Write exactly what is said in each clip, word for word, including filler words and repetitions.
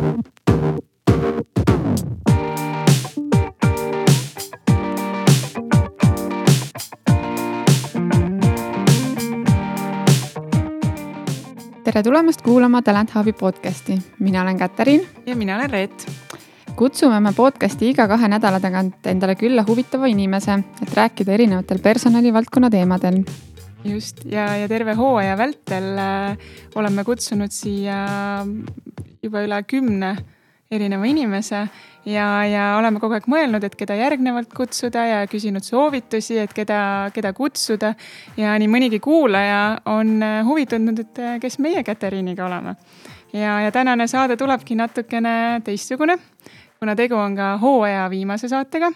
Tere tulemast kuulama Talent Hubi podcasti. Mina olen Katariin. Ja mina olen Reet. Kutsume me podcasti iga kahe nädala tagant endale külla huvitava inimese, et rääkida erinevatel personalivaldkonna teemadel. Just, ja, ja terve hooaja vältel äh, oleme kutsunud siia juba üle kümne erineva inimese ja, ja oleme kogu aeg mõelnud, et keda järgnevalt kutsuda ja küsinud soovitusi, et keda, keda kutsuda. Ja nii mõnigi kuulaja on huvi tundnud, et kes meie Katariiniga oleme. Ja, ja tänane saade tulebki natukene teistsugune, kuna tegu on ka hooaja viimase saatega.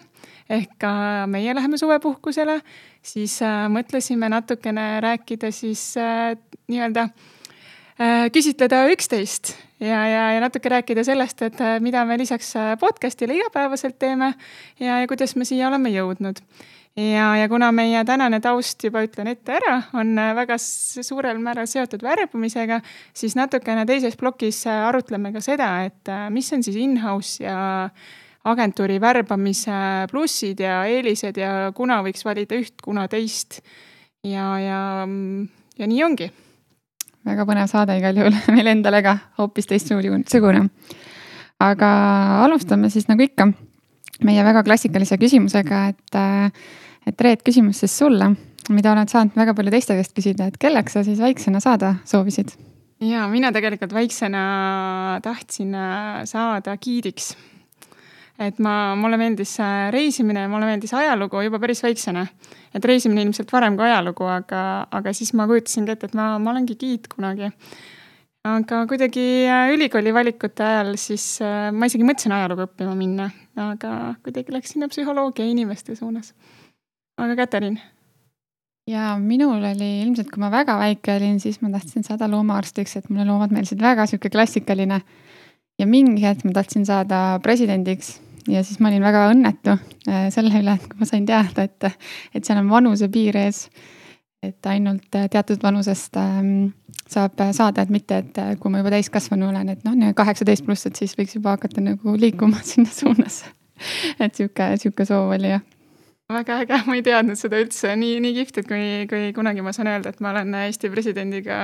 Ehk ka meie läheme suvepuhkusele, siis äh, mõtlesime natukene rääkida siis äh, nii-öelda äh, küsitleda üksteist ja, ja, ja natuke rääkida sellest, et äh, mida me lisaks podcastile igapäevaselt teeme ja, ja kuidas me siia oleme jõudnud. Ja, ja kuna meie tänane taust juba ütlen ette ära, on väga suurel määral seotud värbumisega, siis natukene teises plokis arutleme ka seda, et äh, mis on siis in-house ja agentuuri värbamise plussid ja eelised ja kuna võiks valida üht, kuna teist. Ja, ja, ja nii ongi. Väga põnev saade igal juhul meil endale ka hoopis teistsugune. Aga alustame siis nagu ikka meie väga klassikalise küsimusega, et, et Reet, küsimus siis sulle, mida oled saanud väga palju teiste käest küsida, et kelleks sa siis väiksena saada soovisid? Ja, mina tegelikult väiksena tahtsin saada giidiks. Et ma, mulle meeldis reisimine ja mulle meeldis ajalugu juba päris väiksena. Et reisimine ilmselt varem kui ajalugu, aga, aga siis ma kujutasin ette, et ma, ma olengi giid kunagi. Aga kuidagi ülikooli valikute ajal siis ma isegi mõtlesin ajalugu õppima minna, aga kuidagi läks sinna psühholoogia inimeste suunas. Aga Katariin? Ja minul oli ilmselt, kui ma väga väike olin, siis ma tahtsin saada loomaarstiks, et mulle loomad meelsid väga siuke klassikaline. Ja mingi hetk ma tahtsin saada presidendiks ja siis ma olin väga õnnetu selle üle, et kui ma sain teada, et, et seal on vanuse piir ees, et ainult teatud vanusest saab saada, et mitte, et kui ma juba täiskasvanu olen, et noh, kaheksateist pluss, et siis võiks juba hakata nagu liikuma sinna suunas. Et siuke, siuke soov oli, jah. Väga äge, ma ei teadnud seda üldse nii, nii kihvt, et kui, kui kunagi ma saan öelda, et ma olen Eesti presidendiga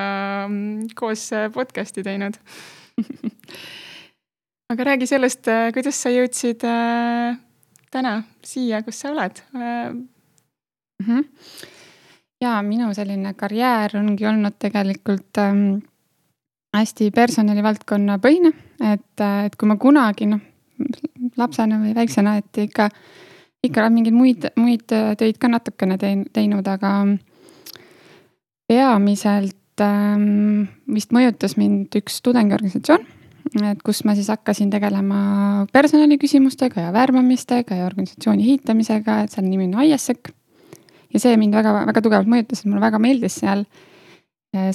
koos podcasti teinud. Aga räägi sellest, kuidas sa jõudsid äh, täna siia, kus sa oled? Mm-hmm. Ja minu selline karjäär ongi olnud tegelikult ähm, hästi personalivaldkonna põhine, et, et kui ma kunagi no, lapsena või väiksena, et ikka, ikka mingeid muid, muid töid ka natukene teinud, aga peamiselt ähm, vist mõjutas mind üks tudengiorganisatsioon, et kus ma siis hakkasin tegelema personaliküsimustega ja värbamistega ja organisatsiooni hiitamisega, et seal nimi on I S E C. Ja see mind väga, väga tugevalt mõjutas, et mulle väga meeldis seal.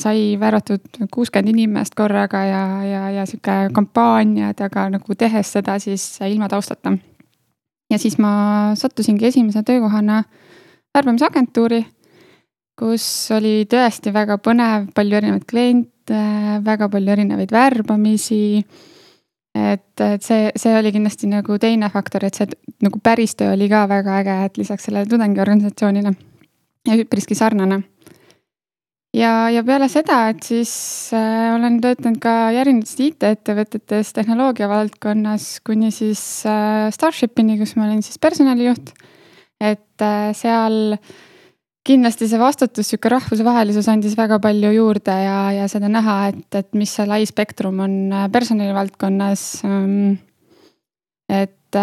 Sai värvatud kuuskümmend inimest korraga ja, ja, ja siuke kampaaniad, aga nagu tehes seda siis ilma taustata. Ja siis ma sattusingi esimese töökohana värbamisagentuuri, kus oli tõesti väga põnev, palju erinevaid kliente, väga palju erinevaid värbamisi, et, et see, see oli kindlasti nagu teine faktor, et see nagu päris töö oli ka väga äge, et lisaks sellele tudengiorganisatsioonile ja üpriski sarnane. Ja, ja peale seda, et siis äh, olen töötanud ka järgnevates I T-ettevõtetes tehnoloogia valdkonnas kuni siis äh, Starshipini, kus ma olin siis personalijuht, et äh, seal kindlasti see vastutus, siuke rahvusvahelisus andis väga palju juurde ja, ja seda näha, et, et mis see lai spektrum on personalivaldkonnas. Et,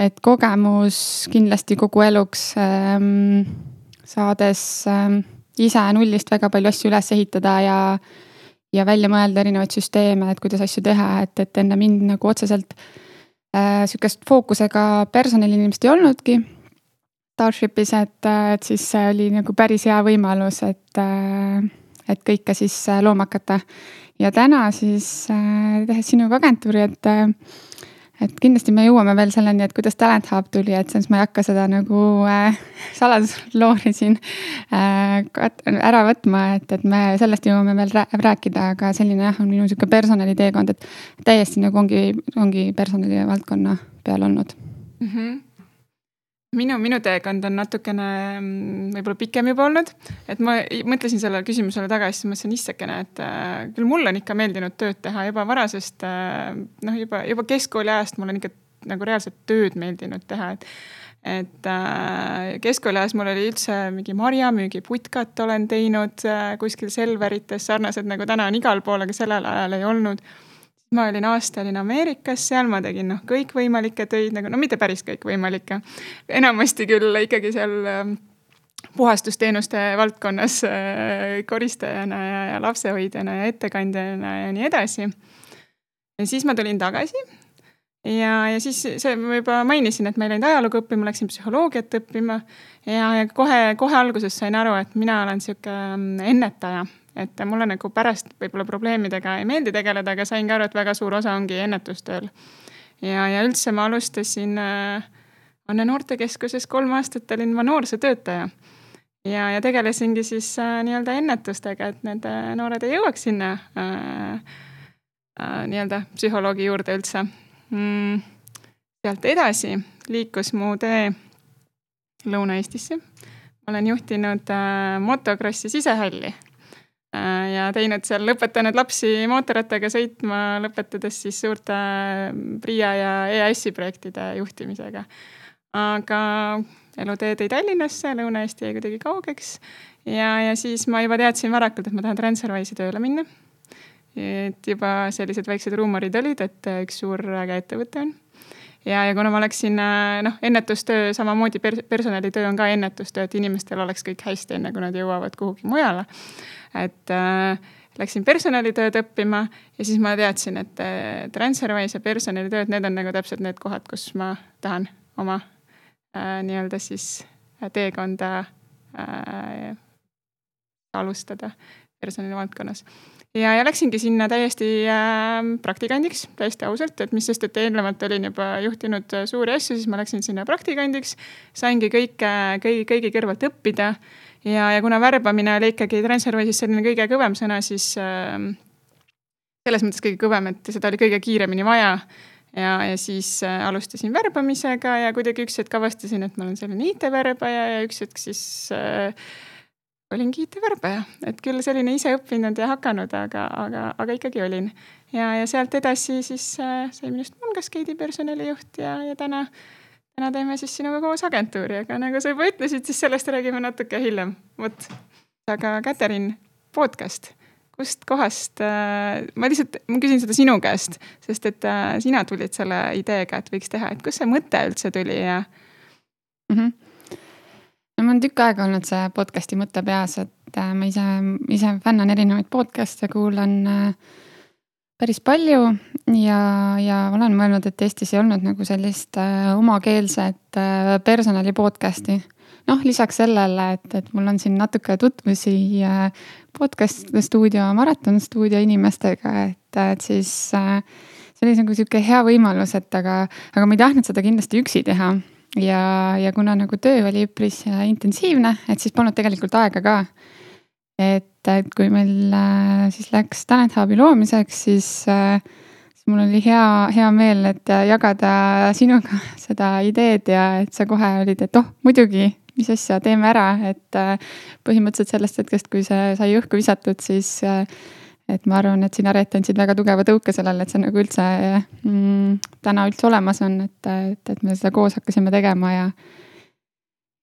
et kogemus kindlasti kogu eluks saades ise nullist väga palju asju üles ehitada ja, ja välja mõelda erinevaid süsteeme, et kuidas asju teha, et, et enne mind nagu otseselt siukest fookusega personalinimest ei olnudki. Starshipis, et, et siis see oli nagu päris hea võimalus, et, et kõike siis looma hakata. Ja täna siis tehes sinuga agentuuri, et, et kindlasti me jõuame veel selleni, et kuidas Talent Hub tuli, et siis ma ei hakka seda nagu äh, saladusloori siin äh, ära võtma, et, et me sellest jõuame veel rääkida, aga selline jah, on minu sihuke personaliteekond, et täiesti nagu ongi, ongi personali valdkonna peal olnud. Mm-hmm. Minu, minu teekond on natukene võib-olla pikem juba olnud, et ma mõtlesin sellele küsimusele tagasi, siis mõtlesin issekene, et äh, küll mul on ikka meeldinud tööd teha juba varasest, äh, noh juba, juba keskkooli ajast mul on ikka nagu reaalselt tööd meeldinud teha, et, et äh, keskkooli ajast mul oli üldse mingi marjamüügi putkat olen teinud äh, kuskil Selverites, sarnased nagu täna on igal pool, aga sellel ajal ei olnud. Ma olin aasta olin Ameerikas, seal ma tegin noh, kõikvõimalikke töid, nagu, no mitte päris kõikvõimalikke. Enamasti küll ikkagi seal äh, puhastusteenuste valdkonnas äh, koristajana ja, ja lapsehoidjana ja ettekandjana ja nii edasi. Ja siis ma tulin tagasi ja, ja siis see, ma juba mainisin, et ma ei läinud ajalugu õppima, läksin psühholoogiat õppima ja, ja kohe, kohe alguses sain aru, et mina olen sihuke ennetaja. Et mulle nagu pärast võib-olla probleemidega ei meeldi tegeleda, aga sain ka aru, et väga suur osa ongi ennetustööl. Ja, ja üldse ma alustasin äh, Anne Noortekeskuses kolm aastat olin ma noorsootöötaja. Ja, ja tegelesingi siis äh, nii-öelda ennetustega, et need äh, noored ei jõuaks sinna äh, äh, nii-öelda psühholoogi juurde üldse. Mm, sealt edasi liikus mu tee Lõuna-Eestisse. Ma olen juhtinud äh, motokrossi sisehalli. Ja teinud seal, lõpetanud lapsi mootorrattaga sõitma, lõpetades siis suurte PRIA ja E A S-i projektide juhtimisega. Aga elutee tõi Tallinnasse, Lõuna-Eesti jäi kuidagi kaugeks. Ja, ja siis ma juba teadsin varakult, et ma tahan Transferwise'i tööle minna. Et juba sellised väiksed ruumorid olid, et üks suur äge ettevõte on. Ja, ja kuna ma läksin, noh, ennetustöö, samamoodi personalitöö on ka ennetustöö, et inimestel oleks kõik hästi enne, kui nad jõuavad kuhugi mujale. Et äh, läksin personalitööd õppima ja siis ma teadsin, et äh, Transferwise ja personalitööd, need on nagu täpselt need kohad, kus ma tahan oma äh, nii-öelda siis teekonda äh, alustada personali valdkonnas. Ja, ja läksingi sinna täiesti äh, praktikandiks, täiesti ausalt, et mis sest, et eelnevalt olin juba juhtinud suuri asju, siis ma läksin sinna praktikandiks, saingi kõike, kõigi, kõigi kõrvalt õppida. Ja, ja kuna värbamine oli ikkagi Transferwise'is selline kõige kõvem sõna, siis äh, selles mõttes kõige kõvem, et seda oli kõige kiiremini vaja. Ja, ja siis äh, alustasin värbamisega ja kuidagi üks hetk avastasin, et ma olen selline I T-värbaja ja üks hetk siis äh, olingi I T-värbaja. Et küll selline ise õppinud ja hakanud, aga, aga, aga ikkagi olin. Ja, ja sealt edasi siis äh, sai minust Mulgascade'i personalijuht ja, ja täna Täna teeme siis sinuga koos agentuuri, aga nagu sa juba ütlesid, siis sellest räägime natuke hiljem. Võt. Aga Käterin, podcast. Kust kohast, äh, ma lihtsalt ma küsin seda sinu käest, sest et äh, sina tulid selle ideega, et võiks teha, et kus see mõte üldse tuli ja... Mm-hmm. No ma on tükk aega olnud see podcasti mõte peas, et äh, ma ise, ise fännan erinevaid podcaste, kuulan äh, päris palju ja, ja olen mõelnud, et Eestis ei olnud nagu sellist äh, omakeelset äh, personali podcasti. Noh, lisaks sellele, et, et mul on siin natuke tutvusi äh, podcast stuudio, maraton stuudio inimestega, et, et siis äh, see oli nagu siuke hea võimalus, et aga, aga ma ei tahtnud seda kindlasti üksi teha. Ja, ja kuna nagu töö oli üpris intensiivne, et siis polnud tegelikult aega ka. Et, et kui meil äh, siis läks Talent Hubi loomiseks, siis, äh, siis mul oli hea, hea meel, et jagada sinuga seda ideed ja et sa kohe olid, et oh, muidugi, mis asja, teeme ära. Et äh, põhimõtteliselt sellest hetkest, kui see sai õhku visatud, siis äh, et ma arvan, et sina Reet andsid väga tugeva tõuke sellele, et see nagu üldse mm, täna üldse olemas on, et, et, et me seda koos hakkasime tegema ja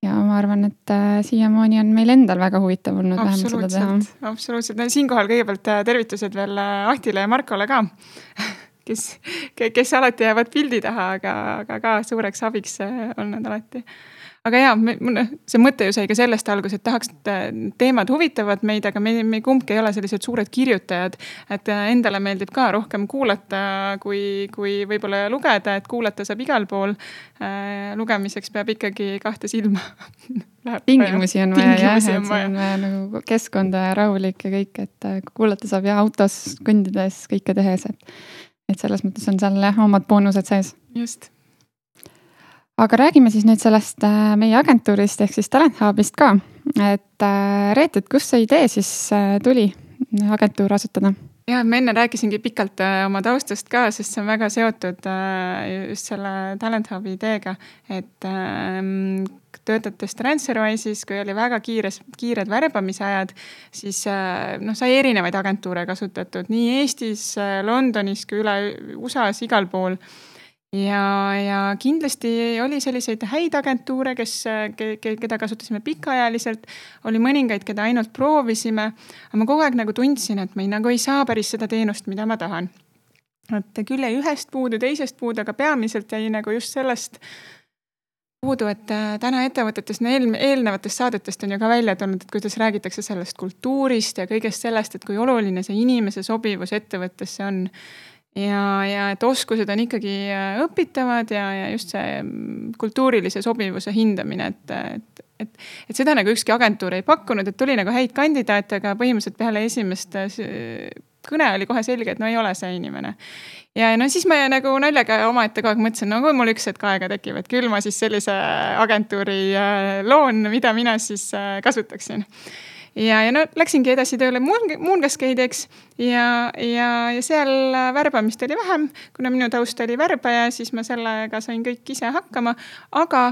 Ja ma arvan, et äh, siiamaani on meil endal väga huvitav olnud vähemalt seda teha. Absoluutselt. No, siinkohal kõigepealt tervitused veel Ahtile ja Markole ka, kes, kes alati jäävad pildi taha, aga, aga ka suureks abiks olnud alati. Aga jaa, me, see mõte ju sai ka sellest algus, et tahaks teemad huvitavad meid, aga me, me kumbki ei ole sellised suured kirjutajad, et endale meeldib ka rohkem kuulata, kui, kui võib-olla lugeda, et kuulata saab igal pool. Lugemiseks peab ikkagi kahte silma. Tingimusi on vaja, jah, et see on vaja nagu keskkonda ja rahulik ja kõik, et kuulata saab ja autos kõndides kõike tehes, et, et selles mõttes on seal jah, omad boonused sees. just. Aga räägime siis nüüd sellest meie agentuurist ehk siis Talent Hubist ka. Et Reet, et kust see idee siis tuli agentuur asutada? Ja, ma enne rääkisingi pikalt oma taustast ka, sest see on väga seotud just selle Talent Hubi ideega, et töötates Transferwise'is, kui oli väga kiires, kiired värbamise ajad, siis no, sai erinevaid agentuure kasutatud nii Eestis, Londonis kui üle U S A-s igal pool. Ja, ja kindlasti oli selliseid häid agentuure, kes, keda kasutasime pikaajaliselt, oli mõningaid, keda ainult proovisime, aga ma kogu aeg nagu tundsin, et ma ei, nagu ei saa päris seda teenust, mida ma tahan. Et küll jäi ühest puudu, teisest puudu, aga peamiselt jäi nagu just sellest puudu, et täna ettevõtetes, eel, eelnevatest saadetest on ju ka välja tulnud, et kuidas räägitakse sellest kultuurist ja kõigest sellest, et kui oluline see inimese sobivus ettevõttesse on. Ja, ja et oskused on ikkagi õpitavad ja, ja just see kultuurilise sobivuse hindamine, et, et, et, et seda nagu ükski agentuur ei pakkunud, et tuli nagu häid kandidaate, aga põhimõtteliselt peale esimest kõne oli kohe selge, et no ei ole see inimene. Ja no siis ma nagu naljaga omaette kogu aeg mõtlesin, no kui mul üks hetk aega tekib, et küll ma siis sellise agentuuri loon, mida mina siis kasutaksin. Ja, ja no läksingi edasi tööle Moongascade'iks ja, ja, ja seal värbamist oli vähem, kuna minu taust oli värbaja, siis ma sellega sain kõik ise hakkama, aga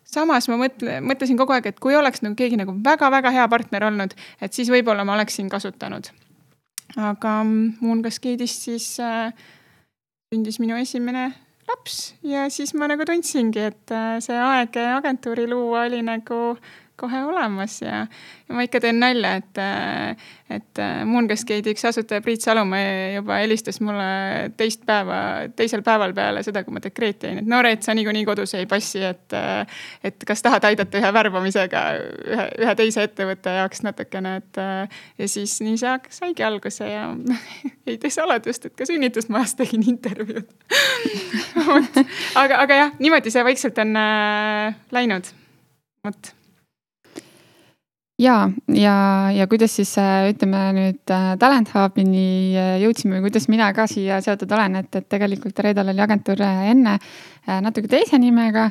samas ma mõtle, mõtlesin kogu aeg, et kui oleks nagu keegi nagu väga-väga hea partner olnud, et siis võib-olla ma oleksin kasutanud. Aga Moongascade'ist siis äh, sündis minu esimene laps ja siis ma nagu tundsingi, et äh, see aeg agentuuri luua oli nagu kohe olemas ja, ja ma ikka teen nalja, et, et Moongascade'i üks asutaja Priit Salumäe juba helistas mulle teist päeva, teisel päeval peale seda, kui ma dekreeti jäin, et no Reet, sa niikuinii kodus ei passi, et, et kas tahad aidata ühe värbamisega ühe, ühe teise ettevõtte jaoks natukene, et ja siis nii see saigi alguse ja ei tee saladust, et ka sünnitusmajas tegin intervjuud. aga, aga jah, niimoodi see vaikselt on äh, läinud. Vot. Ja, ja, ja kuidas siis ütleme nüüd Talent Hubini jõudsime või kuidas mina ka siia seotud olen, et, et tegelikult Reedal oli agentuur enne natuke teise nimega,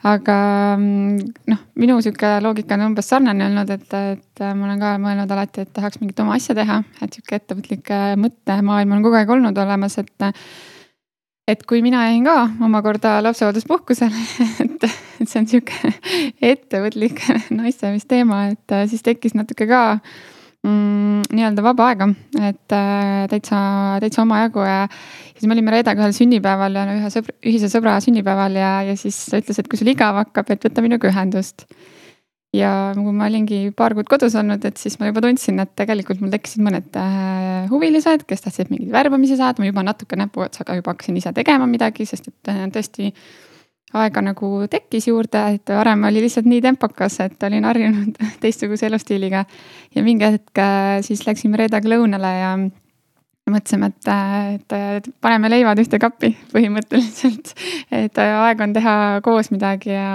aga noh, minu süke loogika on umbes sarnane olnud, et, et ma olen ka mõelnud alati, et tahaks mingit oma asja teha, et süke ettevõtlik mõtte maailm on kogu aeg olnud olemas, et Et kui mina jäin ka omakorda lapsehoolduspuhkusele, et, et see on siuke ettevõtlik naistemist teema, et siis tekkis natuke ka mm, nii-öelda vaba aega, et täitsa, täitsa oma jagu ja siis me olime Reedaga ühel sünnipäeval ja ühe sõbra, ühise sõbra sünnipäeval ja, ja siis ta ütles, et kui sul igav hakkab, et võtta minuga ühendust. Ja kui ma olingi paar kuud kodus olnud, et siis ma juba tundsin, et tegelikult mul tekkisid mõned huvilised, kes tahtsid mingid värbamisi saada, ma juba natuke näpuotsaga juba hakkasin ise tegema midagi, sest et tõesti aega nagu tekkis juurde, et varem oli lihtsalt nii tempokas, et olin harjunud teistsuguse elustiiliga. Ja mingi hetk siis läksime Reedaga lõunale ja mõtlesime, et, et paneme leivad ühte kappi põhimõtteliselt, et aeg on teha koos midagi ja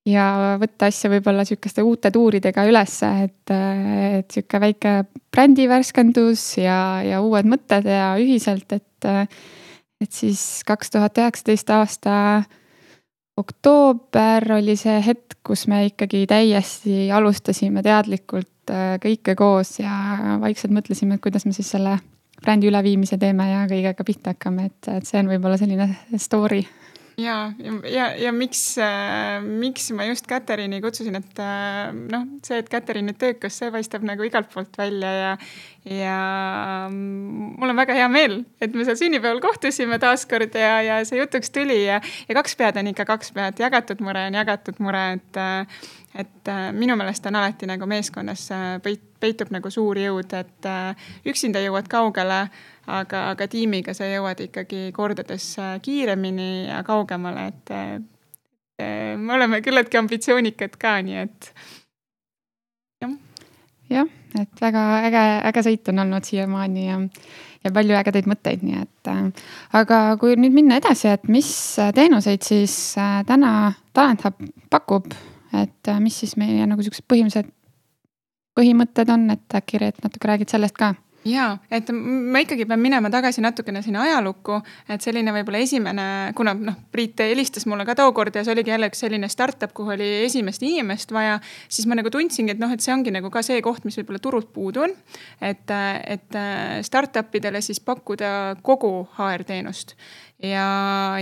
ja võtta asja võib-olla sükeste uute tuuridega ülesse, et, et süke väike brändi värskendus ja, ja uued mõtted ja ühiselt, et, et siis kaks tuhat üheksateist aasta oktoober oli see hetk, kus me ikkagi täiesti alustasime teadlikult kõike koos ja vaikselt mõtlesime, et kuidas me siis selle brändi üleviimise teeme ja kõigega pihta hakkame, et, et see on võib-olla selline story. Ja, ja, ja miks, äh, miks ma just Caterini kutsusin, et äh, noh, see, et Caterini töökas, see paistab nagu igalt poolt välja ja, ja mul on väga hea meel, et me seal sünnipäeval kohtusime taaskord ja, ja see jutuks tuli ja, ja kaks pead on ikka kaks pead, jagatud mure on jagatud mure, et, et minu meelest on alati nagu meeskonnas peit, peitub nagu suur jõud, et üksinda jõuad kaugele, aga, aga tiimiga sa jõuad ikkagi kordades kiiremini ja kaugemale, et, et me oleme küllaltki ambitsioonikad ka, nii et jah. Jah, et väga äge, äge sõit on olnud siiamaani ja, ja palju ägedaid mõtteid, nii et aga kui nüüd minna edasi, et mis teenuseid siis täna Talent Hub pakub, et mis siis meie nagu sellised põhimõtted põhimõtted on, et äkki Reet natuke räägid sellest ka? Jaa, et ma ikkagi pean minema tagasi natukene sinna ajalukku, et selline võib-olla esimene, kuna noh, Priit helistas mulle ka tookord ja see oligi jälle üks selline startup, kuhu oli esimest inimest vaja, siis ma nagu tundsingi, et noh, et see ongi nagu ka see koht, mis võib-olla turult puudu on, et, et startupidele siis pakkuda kogu H R-teenust ja,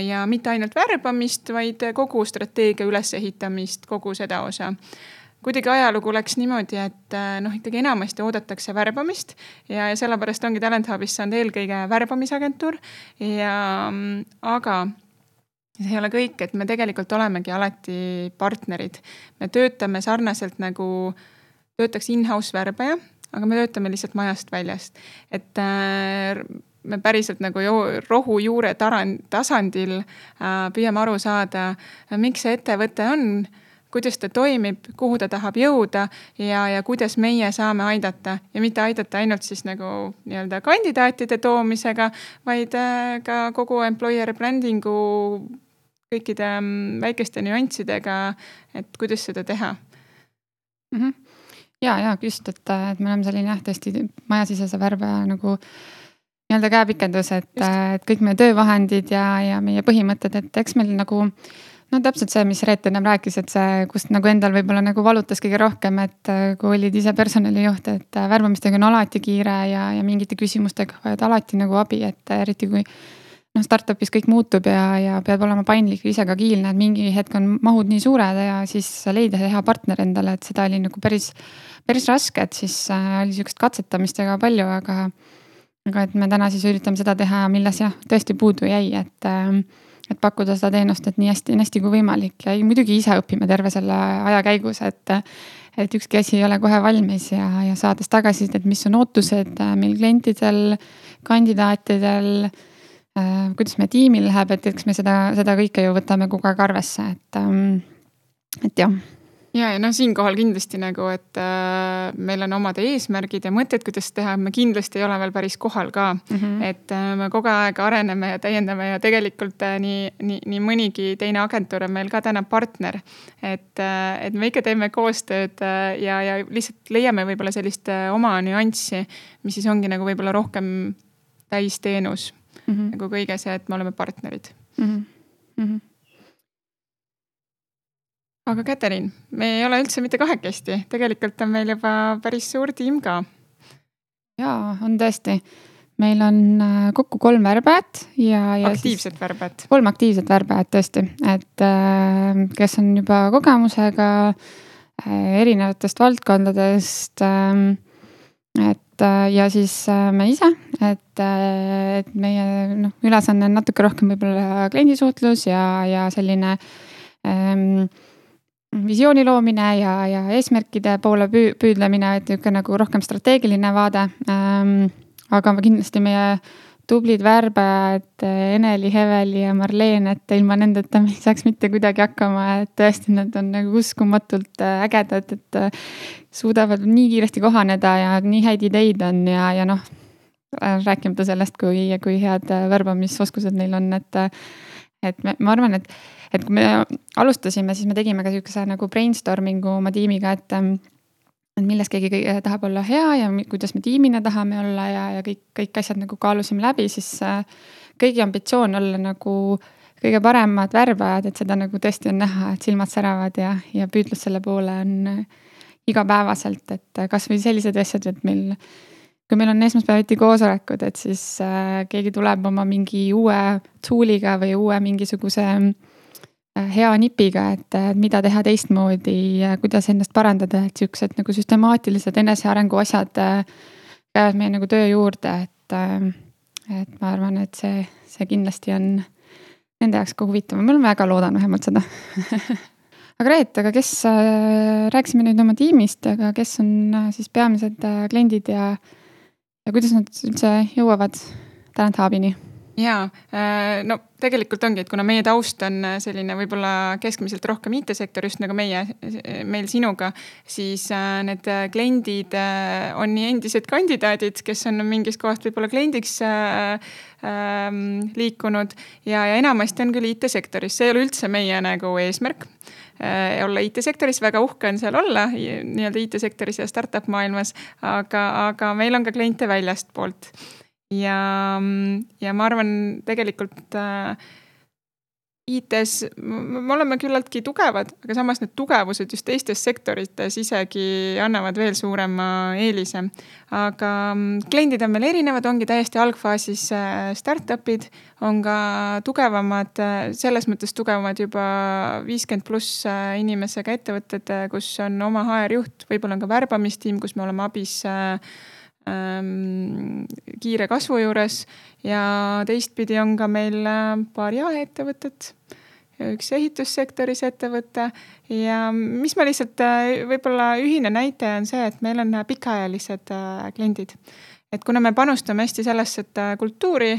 ja mitte ainult värbamist, vaid kogu strateegia ülesehitamist, kogu seda osa. Kuidagi ajalugu läks niimoodi, et noh, ikkagi enamasti oodatakse värbamist ja, ja sellepärast ongi Talent Hubis saanud eelkõige värbamisagentuur. Ja, aga see ei ole kõik, et me tegelikult olemegi alati partnerid. Me töötame sarnaselt nagu töötaks in-house värbaja, aga me töötame lihtsalt majast väljast. Et me päriselt nagu rohu juure tasandil püüame aru saada, miks see ettevõte on, kuidas ta toimib, kuhu ta tahab jõuda ja, ja kuidas meie saame aidata. Ja mitte aidata ainult siis nagu nii-öelda kandidaatide toomisega, vaid ka kogu employer brandingu kõikide väikeste nüanssidega, et kuidas seda teha. Mm-hmm. Ja, ja, just, et, et me oleme selline jah, tõesti majasisese värbaja nagu nii-öelda käepikendus, et, et kõik meie töövahendid ja, ja meie põhimõtted, et eks meil nagu no täpselt see, mis Reet ennem rääkis, et see, kust nagu endal võib-olla nagu valutas kõige rohkem, et kui olid ise personalijuht, et värbamistega on alati kiire ja, ja mingite küsimustega vajad alati nagu abi, et eriti kui no, startupis kõik muutub ja, ja peab olema paindlik ja ise ka kiilne, et mingi hetk on mahud nii suured ja siis leida hea partner endale, et seda oli nagu päris, päris raske, et siis oli sükest katsetamistega palju, aga, aga et me täna siis üritame seda teha, milles jah, tõesti puudu jäi, et et pakkuda seda teenust, et nii hästi, nii hästi kui võimalik ja muidugi ise õpime terve selle aja käigus, et, et ükski asi ei ole kohe valmis ja, ja saades tagasi, et mis on ootused meil klientidel, kandidaatidel, äh, kuidas me tiimil läheb, et eks me seda, seda kõike ju võtame kogu aeg arvesse, et, et jah. Ja, ja noh, siinkohal kindlasti nagu, et äh, meil on omad eesmärgid ja mõtted, kuidas teha, me kindlasti ei ole veel päris kohal ka. Mm-hmm. Et äh, me kogu aeg areneme ja täiendame ja tegelikult äh, nii, nii, nii mõnigi teine agentuur on meil ka täna partner. Et, äh, et me ikka teeme koostööd äh, ja, ja lihtsalt leiame võib-olla sellist äh, oma nüanssi, mis siis ongi nagu võib-olla rohkem täisteenus. Mm-hmm. Nagu kõige see, et me oleme partnerid. Mm-hmm. Mm-hmm. Aga Käterin, me ei ole üldse mitte kahekesti. Tegelikult on meil juba päris suur tiim ka. Jaa, on tõesti. Meil on kokku kolm värbajat. Ja, ja aktiivset värbajat. Kolm aktiivset värbajat tõesti. Et kes on juba kogemusega erinevatest valdkondadest. Et, ja siis me ise. Et, et meie no, ülesanne on natuke rohkem võib-olla kliendisuhtlus ja, ja selline ähm, visiooni loomine ja, ja eesmärkide poole püüdlemine, et niisugune nagu rohkem strateegiline vaade. Ähm, aga kindlasti meie tublid värbajad, Eneli, Heveli ja Marleen, et ilma nendeta me ei saaks mitte kuidagi hakkama, et tõesti nad on nagu uskumatult ägedad, et suudavad nii kiiresti kohaneda ja nii häid ideid on ja, ja noh, rääkimata sellest, kui, kui head värbamisoskused neil on, et et me, ma arvan, et, et kui me alustasime, siis me tegime ka niisuguse nagu brainstormingu oma tiimiga, et, et milles keegi tahab olla hea ja kuidas me tiimina tahame olla ja, ja kõik, kõik asjad nagu kaalusime läbi, siis kõigi ambitsioon olla nagu kõige paremad värbajad, et seda nagu tõesti on näha, et silmad säravad ja, ja püüdlus selle poole on igapäevaselt, et kas või sellised asjad, et meil kui meil on esmaspäeviti koosolekud, et siis äh, keegi tuleb oma mingi uue tooliga või uue mingisuguse äh, hea nipiga, et, et mida teha teistmoodi ja kuidas ennast parandada, et siuksed nagu süstemaatilised enesearengu asjad äh, käivad meie nagu töö juurde, et, äh, et ma arvan, et see, see kindlasti on nende jaoks ka huvitav. Ma olen väga loodan vähemalt seda. Aga Reet, aga kes, äh, rääksime nüüd oma tiimist, aga kes on äh, siis peamised äh, kliendid ja Ja kuidas nad üldse jõuavad Talent Hubini? Jaa, no tegelikult ongi, et kuna meie taust on selline võib-olla keskmiselt rohkem I T-sektor, just nagu meie, meil sinuga, siis need kliendid on nii endised kandidaadid, kes on mingis kohast võib-olla kliendiks liikunud ja, ja enamasti on küll I T-sektoris. See ei ole üldse meie nagu eesmärk olla I T-sektoris, väga uhke on seal olla nii-öelda I T-sektoris ja startup maailmas, aga, aga meil on ka kliente väljast poolt. Ja, ja ma arvan tegelikult äh, I T-s me oleme küllaltki tugevad, aga samas need tugevused just teistes sektorites isegi annavad veel suurema eelise. Aga kliendid on meil erinevad, ongi täiesti algfaasis startupid, on ka tugevamad, selles mõttes tugevamad juba viiskümmend pluss inimesega ettevõtted, kus on oma H R-juht, võib-olla on ka värbamistiim, kus me oleme abis kiire kasvu juures ja teistpidi on ka meil paar jaeettevõtet, üks ehitussektoris ettevõte ja mis ma lihtsalt võib-olla ühine näite on see, et meil on pikaajalised kliendid. Et kuna me panustame hästi sellesse, et kultuuri,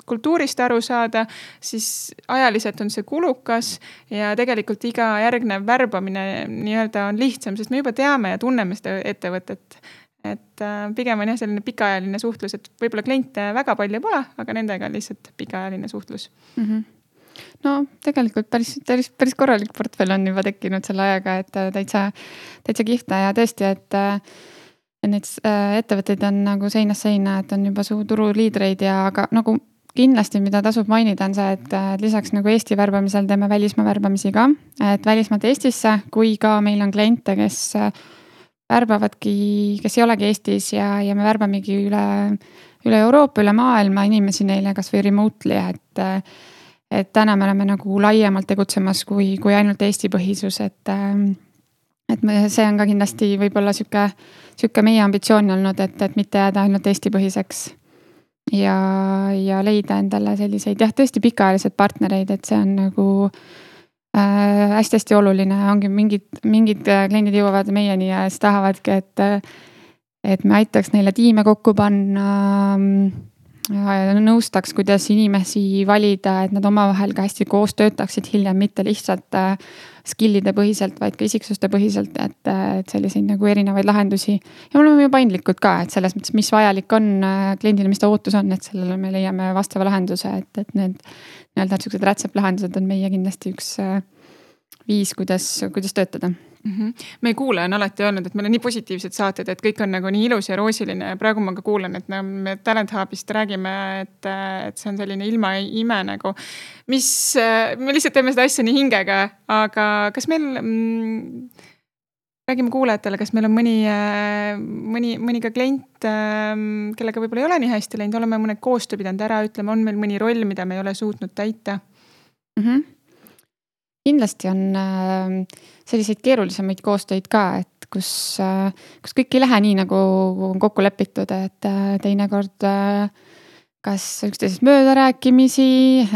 kultuurist aru saada, siis ajaliselt on see kulukas ja tegelikult iga järgnev värbamine nii-öelda on lihtsam, sest me juba teame ja tunneme seda ettevõtet. Et pigem on jah selline pikaajaline suhtlus, et võib-olla kliente väga palju pole, aga nendega on lihtsalt pikaajaline suhtlus. Mm-hmm. No tegelikult päris, päris, päris korralik portfell on juba tekkinud selle ajaga, et täitsa, täitsa kihvta ja tõesti, et, et neid ettevõtteid on nagu seinast seina, et on juba suu turuliidreid ja aga nagu kindlasti, mida tasub mainida, on see, et lisaks nagu Eesti värbamisel teeme välismaa värbamisi ka, et välismaalt Eestisse, kui ka meil on kliente, kes värbavadki, kes ei olegi Eestis ja, ja me värbamegi üle, üle Euroopa, üle maailma inimesi neile kas või remotely, et, et täna me oleme nagu laiemalt tegutsemas kui, kui ainult Eesti põhisus, et, et me, see on ka kindlasti võib-olla süke, süke meie ambitsioon olnud, et, et mitte jääda ainult Eesti põhiseks ja, ja leida endale selliseid jah, tõesti pikaajalised partnereid, et see on nagu hästi-hästi oluline, ongi mingid, mingid kliendid jõuavad meieni ja siis tahavadki, et, et me aitaks neile tiime kokku panna, nõustaks, kuidas inimesi valida, et nad omavahel ka hästi koos töötaksid hiljem, mitte lihtsalt skillide põhiselt, vaid ka isiksuste põhiselt, et, et selliseid nagu erinevaid lahendusi. Ja me oleme ju paindlikud ka, et selles mõttes, mis vajalik on kliendile, mis ta ootus on, et sellele me leiame vastava lahenduse, et, et need nii-öelda sellised rätseplahendused on meie kindlasti üks viis, kuidas, kuidas töötada. Mm-hmm. Meie kuulaja on alati öelnud, et meil on nii positiivsed saated, et kõik on nagu nii ilus ja roosiline ja praegu ma ka kuulen, et me Talent Hubist räägime, et, et see on selline ilma ime nagu, mis me lihtsalt teeme seda asja nii hingega, aga kas meil mm, räägime kuulajatele, kas meil on mõni, mõni, mõni ka klient, kellega võib-olla ei ole nii hästi läinud, oleme mõned koostöö pidanud ära ütlema, on meil mõni roll, mida me ei ole suutnud täita? Mm-hmm. Kindlasti on selliseid keerulisemaid koostöid ka, et kus, kus kõik ei lähe nii, nagu on kokku lepitud, et teinekord kas üksteisest mööda rääkimisi,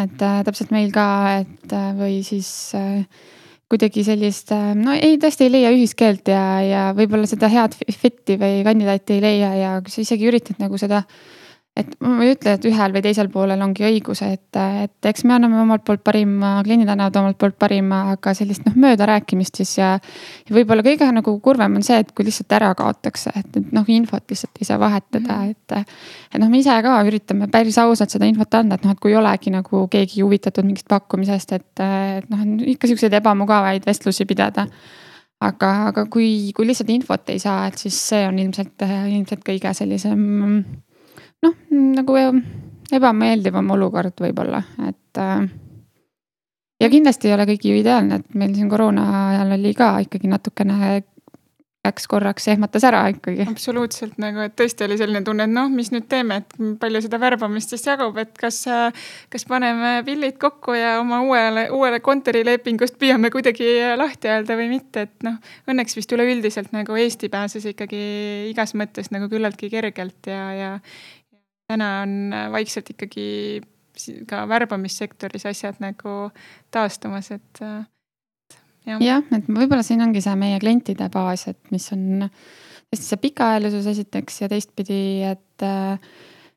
et täpselt meil ka, et või siis kuidagi sellist, no ei, tõesti ei leia ühiskeelt ja, ja võib-olla seda head fitti või kandidaati ei leia ja kui sa isegi üritad nagu seda, et ma ei ütle, et ühel või teisel poolel ongi õigus, et, et eks me anname omalt poolt parima, kliendid annavad omalt poolt parima, aga sellist noh, mööda rääkimist siis ja, ja võib-olla kõige nagu kurvem on see, et kui lihtsalt ära kaotakse, et, et noh, infot lihtsalt ei saa vahetada, mm-hmm. et, et noh, me ise ka üritame päris ausalt seda infot anda, et noh, et kui olegi nagu keegi huvitatud mingist pakkumisest, et, et noh, ikka selliseid ebamugavaid vestlusi pidada. Aga, aga kui, kui lihtsalt infot ei saa, et siis see on ilmselt, ilmselt kõige sellisem noh, nagu ebameeldivam olukord võib-olla, et ja kindlasti ei ole kõik ju ideaalne, et meil siin koroona ajal oli ka ikkagi natukene läks korraks ehmatas ära ikkagi. Absoluutselt nagu, et tõesti oli selline tunne, et noh, mis nüüd teeme, et palju seda värbamist siis jagub, et kas, kas paneme pillid kokku ja oma uuele, uuele kontorilepingust püüame kuidagi lahti öelda või mitte, et noh, õnneks vist üleüldiselt nagu Eesti pääses ikkagi igas mõttes nagu küllaltki kergelt ja, ja täna on vaikselt ikkagi ka värbamissektoris asjad nagu taastumas, et jah. jah, et võib-olla siin ongi see meie klientide baas, et mis on tõesti see pikaajalisus esiteks ja teistpidi, et,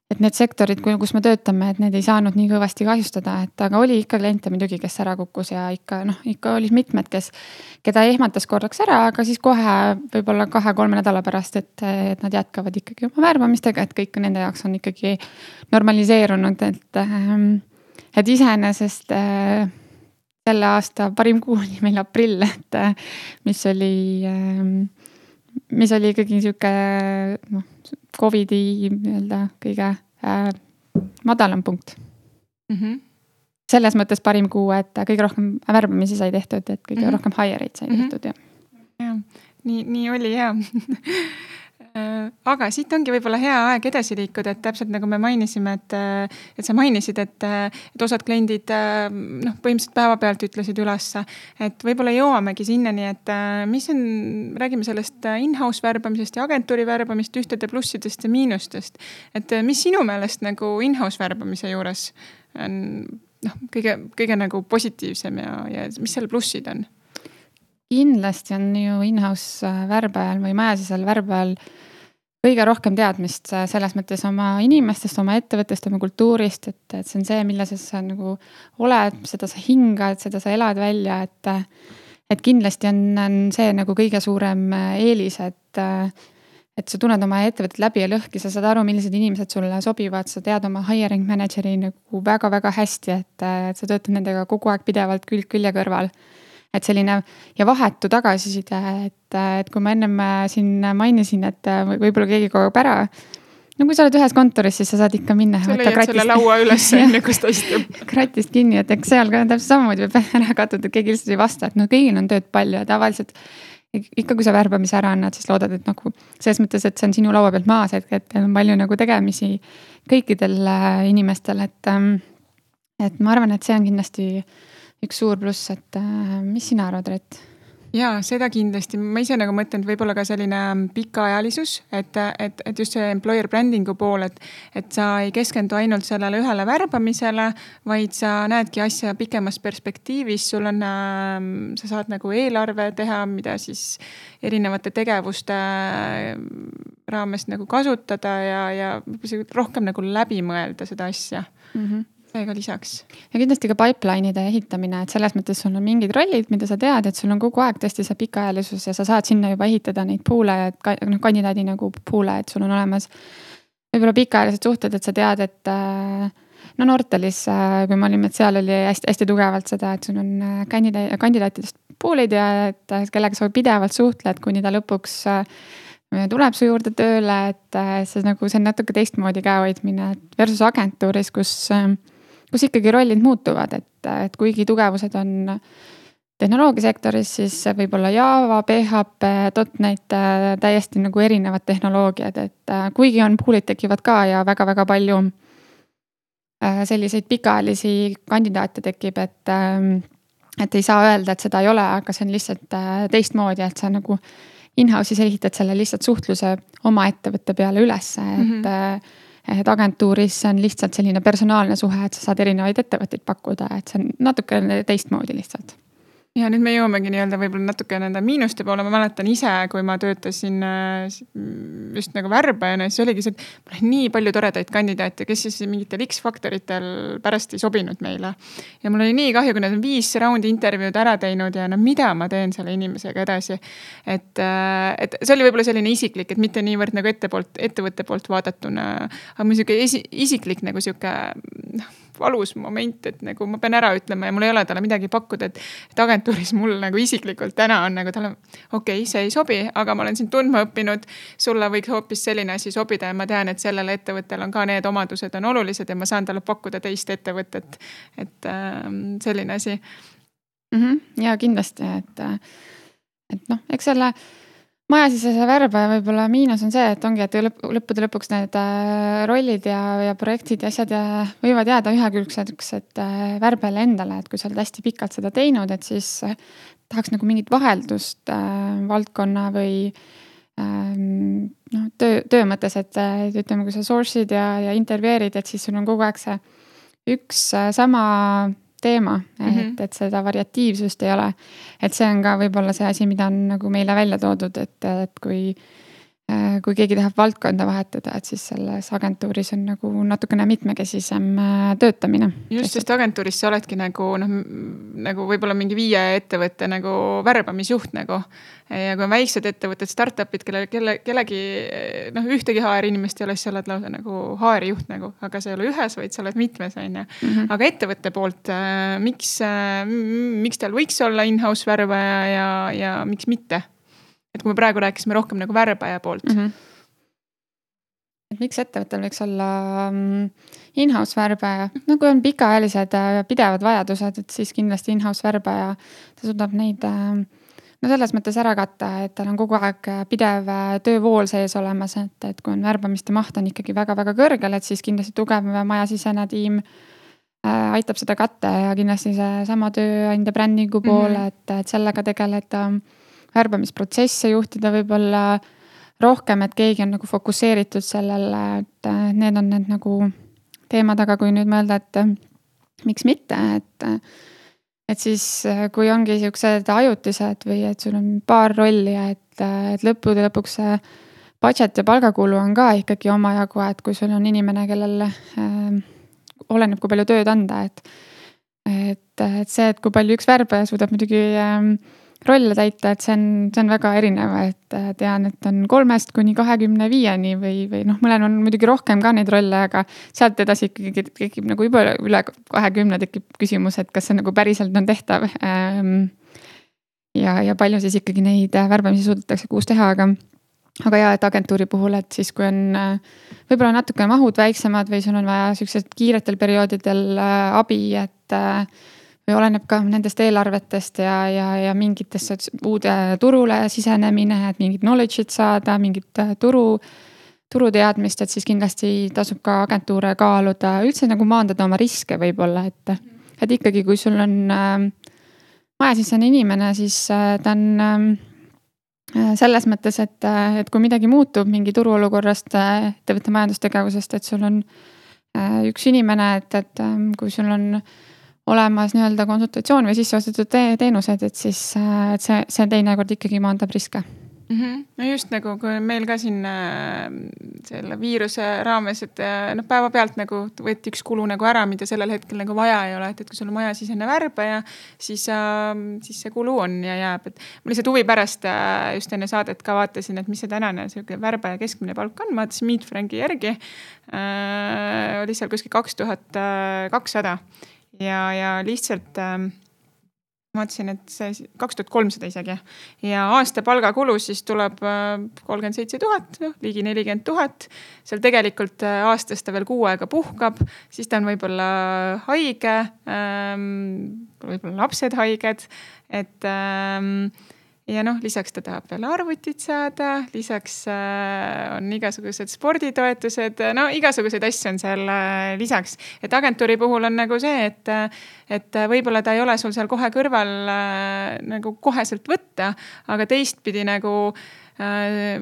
et need sektorid, kus me töötame, et need ei saanud nii kõvasti kahjustada, et aga oli ikka kliente muidugi, kes ära kukkus ja ikka noh, ikka olid mitmed, kes, keda ehmatas korraks ära, aga siis kohe võib-olla kahe-kolme nädala pärast, et, et nad jätkavad ikkagi oma värbamistega, et kõik nende jaoks on ikkagi normaliseerunud, et, et iseenesest selle aasta parim kuu oli meil aprill, et mis oli, mis oli ikkagi sihuke noh, Covidi nii-öelda kõige äh, madalam punkt. Mm-hmm. Selles mõttes parim kuu, et kõige rohkem värbamisi sai tehtud, et kõige mm-hmm. rohkem hire'id sai mm-hmm. tehtud. Ja. Ja, nii, nii oli ja. Aga siit ongi võib-olla hea aeg edasi liikuda, et täpselt nagu me mainisime, et, et sa mainisid, et, et osad kliendid noh, põhimõtteliselt päevapealt ütlesid ülesse, et võib-olla jõuamegi sinnani, et mis on, räägime sellest in-house värbamisest ja agentuuri värbamist, ühtede plussidest ja miinustest. Et mis sinu meelest nagu in-house värbamise juures on noh, kõige, kõige nagu positiivsem ja, ja mis selle plussid on? Kindlasti on ju in-house värbajal või majasisel värbajal kõige rohkem teadmist selles mõttes oma inimestest, oma ettevõttest, oma kultuurist, et, et see on see, milles sa nagu oled, seda sa hingad, seda sa elad välja, et, et kindlasti on, on see nagu kõige suurem eelis, et, et sa tunned oma ettevõtted läbi ja lõhki, sa saad aru, millised inimesed sulle sobivad, sa tead oma hiring manageri nagu väga-väga hästi, et, et sa töötad nendega kogu aeg pidevalt külg külje kõrval. Et selline ja vahetu tagasiside, et, et kui ma ennem siin mainisin, et võib-olla keegi kogub ära, no kui sa oled ühes kontoris, siis sa saad ikka minna. Sa leiad selle laua üles, enne kus ta istub. Kratist kinni, et eks seal ka täpselt samamoodi võib ära katud, et keegi lihtsalt ei vasta, et no kõigil on tööd palju ja tavaliselt ikka kui sa värbamise ära annad, siis loodad, et nagu selles mõttes, et see on sinu laua pealt maas, et, et on palju nagu tegemisi kõikidel inimestel, et, et ma arvan, et see on kindlasti üks suur pluss, et mis sina arvad, Rett? Jaa, seda kindlasti. Ma ise nagu mõtlen, et võib-olla ka selline pikaajalisus, et, et, et just see employer brandingu pool, et, et sa ei keskendu ainult sellele ühele värbamisele, vaid sa näedki asja pikemas perspektiivis. Sul on, sa saad nagu eelarve teha, mida siis erinevate tegevuste raames nagu kasutada ja, ja rohkem nagu läbi mõelda seda asja. Mm-hmm. Seega lisaks. Ja kindlasti ka pipeline'ide ehitamine, et selles mõttes sul on mingid rollid, mida sa tead, et sul on kogu aeg tõesti see pikaajalisus ja sa saad sinna juba ehitada neid poole, et noh, kandidaadi nagu poole, et sul on olemas võib-olla pikaajalised suhted, et sa tead, et no Nortalis, kui me olime, et seal oli hästi, hästi tugevalt seda, et sul on kandidaat, kandidaatidest poolid ja et kellega sa pidevalt suhtled, kuni ta lõpuks tuleb su juurde tööle, et see, nagu, see on natuke teistmoodi käehoidmine versus agentuuris, kus kus ikkagi rollid muutuvad, et, et kuigi tugevused on tehnoloogiasektoris, siis võib olla Java, P H P, .NET, täiesti nagu erinevad tehnoloogiad, et kuigi on poolid tekivad ka ja väga-väga palju selliseid pikaajalisi kandidaate tekib, et, et ei saa öelda, et seda ei ole, aga see on lihtsalt teistmoodi, et sa nagu in-house'is ehitad selle lihtsalt suhtluse oma ettevõtte peale üles, et mm-hmm. et agentuuris on lihtsalt selline personaalne suhe, et sa saad erinevaid ettevõtteid pakkuda, et see on natuke teistmoodi lihtsalt. Ja nüüd me jõuamegi nii-öelda võib-olla natuke nende miinuste poole. Ma mäletan ise, kui ma töötasin just nagu värbajana, siis oligi see, et mul on nii palju toredaid kandidaate, kes siis mingitel X-faktoritel pärast ei sobinud meile. Ja mul oli nii kahju, kui nad on viis raundi intervjuud ära teinud ja no mida ma teen selle inimesega edasi. Et, et see oli võib-olla selline isiklik, et mitte niivõrd nagu ette poolt, ettevõtte poolt vaadatuna, aga mul siuke esi, isiklik nagu siuke valus moment, et nagu ma pean ära ütlema ja mul ei ole talle midagi pakkuda, et, et agentuuris mul nagu isiklikult täna on nagu talle, okei, okay, see ei sobi, aga ma olen sind tundma õppinud, sulle võiks hoopis selline asi sobida ja ma tean, et sellele ettevõttel on ka need omadused on olulised ja ma saan talle pakkuda teist ettevõtet, et äh, selline asi. Mm-hmm. Ja kindlasti, et, et noh, eks selle majasisese värbaja võib-olla miinus on see, et ongi, et lõpp, lõppude lõpuks need rollid ja, ja projektid ja asjad ja võivad jääda ühekülgseks, et värbele endale, et kui sa oled hästi pikalt seda teinud, et siis tahaks nagu mingit vaheldust äh, valdkonna või äh, no, töö, töö mõttes, et ütleme, kui sa source'id ja, ja intervjueerid, et siis sul on kogu aeg see üks äh, sama teema, mm-hmm. et, et seda variatiivsust ei ole. Et see on ka võib-olla see asi, mida on nagu meile välja toodud, et, et kui kui keegi tahab valdkonda vahetada, et siis selles agentuuris on nagu natukene mitmekesisem töötamine. Just, sest agentuuris sa oledki nagu, noh, nagu võib-olla mingi viie ettevõtte nagu värbamisjuht nagu. Ja kui on väiksed ettevõtted, startupid, kelle, kelle, kellegi, noh, ühtegi H R inimest ei ole, siis sa oled lausa nagu H R juht nagu, aga sa ei ole ühes, vaid sa oled mitmes, on ja. Mm-hmm. Aga ettevõtte poolt, miks, miks teil võiks olla in-house värbaja ja, ja miks mitte? Et kui me praegu rääkisime rohkem nagu värbaja poolt. Mm-hmm. Et miks ettevõttel võiks olla in-house värbaja? No kui on pikaajalised pidevad vajadused, et siis kindlasti in-house värbaja, ta suudab neid no selles mõttes ära katta, et tal on kogu aeg pidev töövool sees olemas, et, et kui on värbamiste maht on ikkagi väga-väga kõrgel, et siis kindlasti tugev majasisene tiim äh, aitab seda katta ja kindlasti see sama tööandja brändingu pool, mm-hmm. et, et sellega tegeleda värbamisprotsesse juhtida võib-olla rohkem, et keegi on nagu fokusseeritud sellele, et need on need nagu teemad, aga kui nüüd mõelda, et miks mitte, et et siis kui ongi siuksed ajutised või et sul on paar rolli, et, et lõppude lõpuks see budget ja palgakulu on ka ikkagi omajagu, et kui sul on inimene, kellel äh, oleneb, kui palju tööd anda, et, et, et see, et kui palju üks värbaja suudab muidugi äh, rolle täita, et see on, see on väga erinev, et tean, et on kolmest kuni kahekümne viieni või, või noh, mõlen on muidugi rohkem ka neid rolle, aga sealt edasi ikkagi tekib nagu juba üle kahekümne tekib küsimus, et kas see nagu päriselt on tehtav. Ja, ja palju siis ikkagi neid värbamisi suudetakse kuus teha, aga, aga ja, et agentuuri puhul, et siis kui on võib-olla natuke mahud väiksemad või sul on vaja sellised kiiretel perioodidel abi, et või oleneb ka nendest eelarvetest ja, ja, ja mingitest uude turule sisenemine, et mingit knowledge'it saada, mingit turu, turuteadmist, et siis kindlasti tasub ka agentuure kaaluda, üldse nagu maandada oma riske võib-olla, et, et ikkagi, kui sul on äh, majasisene inimene, siis äh, ta on äh, selles mõttes, et, et kui midagi muutub mingi turuolukorrast, ettevõtte majandustegevusest, et sul on äh, üks inimene, et, et äh, kui sul on olemas nii-öelda konsultatsioon või sisseostetud teenused, et siis et see, see teinekord ikkagi maandab riske. Mm-hmm. No just nagu, kui meil ka siin äh, selle viiruse raames, et noh, päeva pealt nagu võeti üks kulu nagu ära, mida sellel hetkel nagu vaja ei ole, et, et kui sul on majasisene värbaja, siis, äh, siis see kulu on ja jääb. Et ma lihtsalt huvi pärast äh, just enne saadet ka vaatasin, et mis see tänane värbaja keskmine palk on, ma vaatasin Meet Franki järgi, äh, oli seal kuskil kaks tuhat kakssada. Ja, ja lihtsalt äh, ma mõtlesin, et see kaks tuhat kolmsada isegi ja aasta palgakulu siis tuleb äh, kolmkümmend seitse tuhat, no, ligi nelikümmend tuhat. Seal tegelikult äh, aastast ta veel kuu aega puhkab, siis ta on võib-olla haige, ähm, võib-olla lapsed haiged, et ähm, ja noh, lisaks ta tahab veel arvutit saada, lisaks äh, on igasugused sporditoetused, no igasuguseid asju on seal äh, lisaks. Et agentuuri puhul on nagu see, et, et võib-olla ta ei ole sul seal kohe kõrval äh, nagu koheselt võtta, aga teistpidi nagu äh,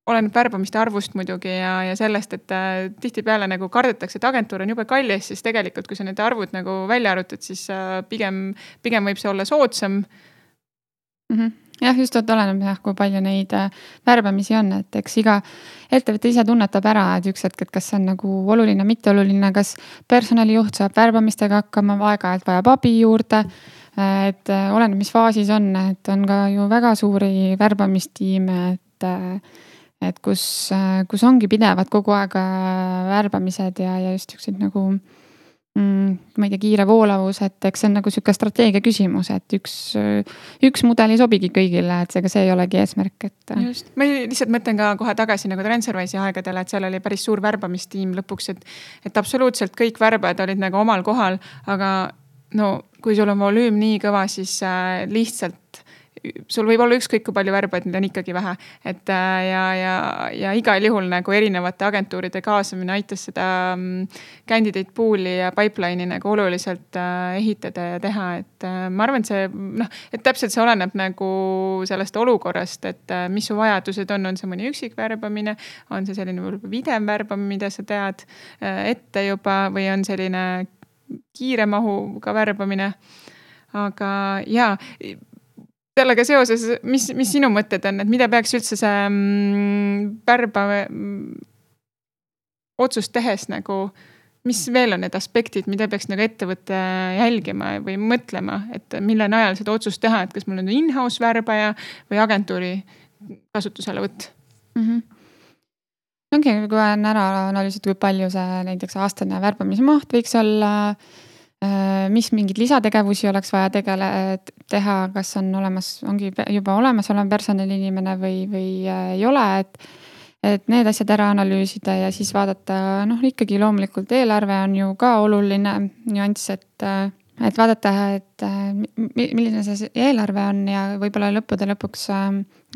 oleneb värbamiste arvust muidugi ja, ja sellest, et äh, tihtipeale nagu kardetakse, et agentuur on jube kallis, siis tegelikult, kui sa need arvud nagu välja arvutad, siis äh, pigem, pigem võib see olla soodsam. Mm-hmm. Jah, just et oleneb jah, kui palju neid värbamisi on, et eks iga ettevõte ise tunnetab ära, et üks hetk, et kas see on nagu oluline, mitte oluline, kas personalijuht saab värbamistega hakkama, aeg-ajalt vajab abi juurde, et oleneb, mis faasis on, et on ka ju väga suuri värbamistiime, et, et kus, kus ongi pidevad kogu aeg värbamised ja, ja just üksid nagu Mm, ma ei tea, kiire voolavus, et eks see on nagu siuke strateegia küsimus, et üks, üks mudel ei sobigi kõigile, et seega see ei olegi eesmärk, et. Just, ma lihtsalt mõtlen ka kohe tagasi nagu Transferwise'i aegadele, et seal oli päris suur värbamistiim lõpuks, et, et absoluutselt kõik värbajad olid nagu omal kohal, aga no kui sul on volüüm nii kõva, siis äh, lihtsalt sul võib olla ükskõik kui palju värbaid, need on ikkagi vähe. Et ja, ja, ja igal juhul nagu erinevate agentuuride kaasamine aitas seda candidate pool'i ja pipeline'i nagu oluliselt ehitada ja teha. Et ma arvan, et see, noh, et täpselt see oleneb nagu sellest olukorrast, et mis su vajadused on, on see mõni üksik värbamine, on see selline videv värbamine, mida sa tead ette juba või on selline kiire mahuga värbamine. Aga jaa, sellega seoses, mis, mis sinu mõtted on, et mida peaks üldse see mm, värba mm, otsust tehes nagu, mis veel on need aspektid, mida peaks nagu ettevõtte jälgima või mõtlema, et mille najal seda otsust teha, et kas mul on in-house värbaja või agentuuri kasutusele võtt? Mm-hmm. Ongi, kui on ära analüüsitud, kui palju see näiteks aastane värbamismaht võiks olla, mis mingid lisategevusi oleks vaja tegele, teha, kas on olemas, ongi juba olemas olev personaliinimene või, või ei ole, et, et need asjad ära analüüsida ja siis vaadata, noh ikkagi loomulikult eelarve on ju ka oluline nüanss, et, et vaadata, et milline see eelarve on ja võib-olla lõppude lõpuks,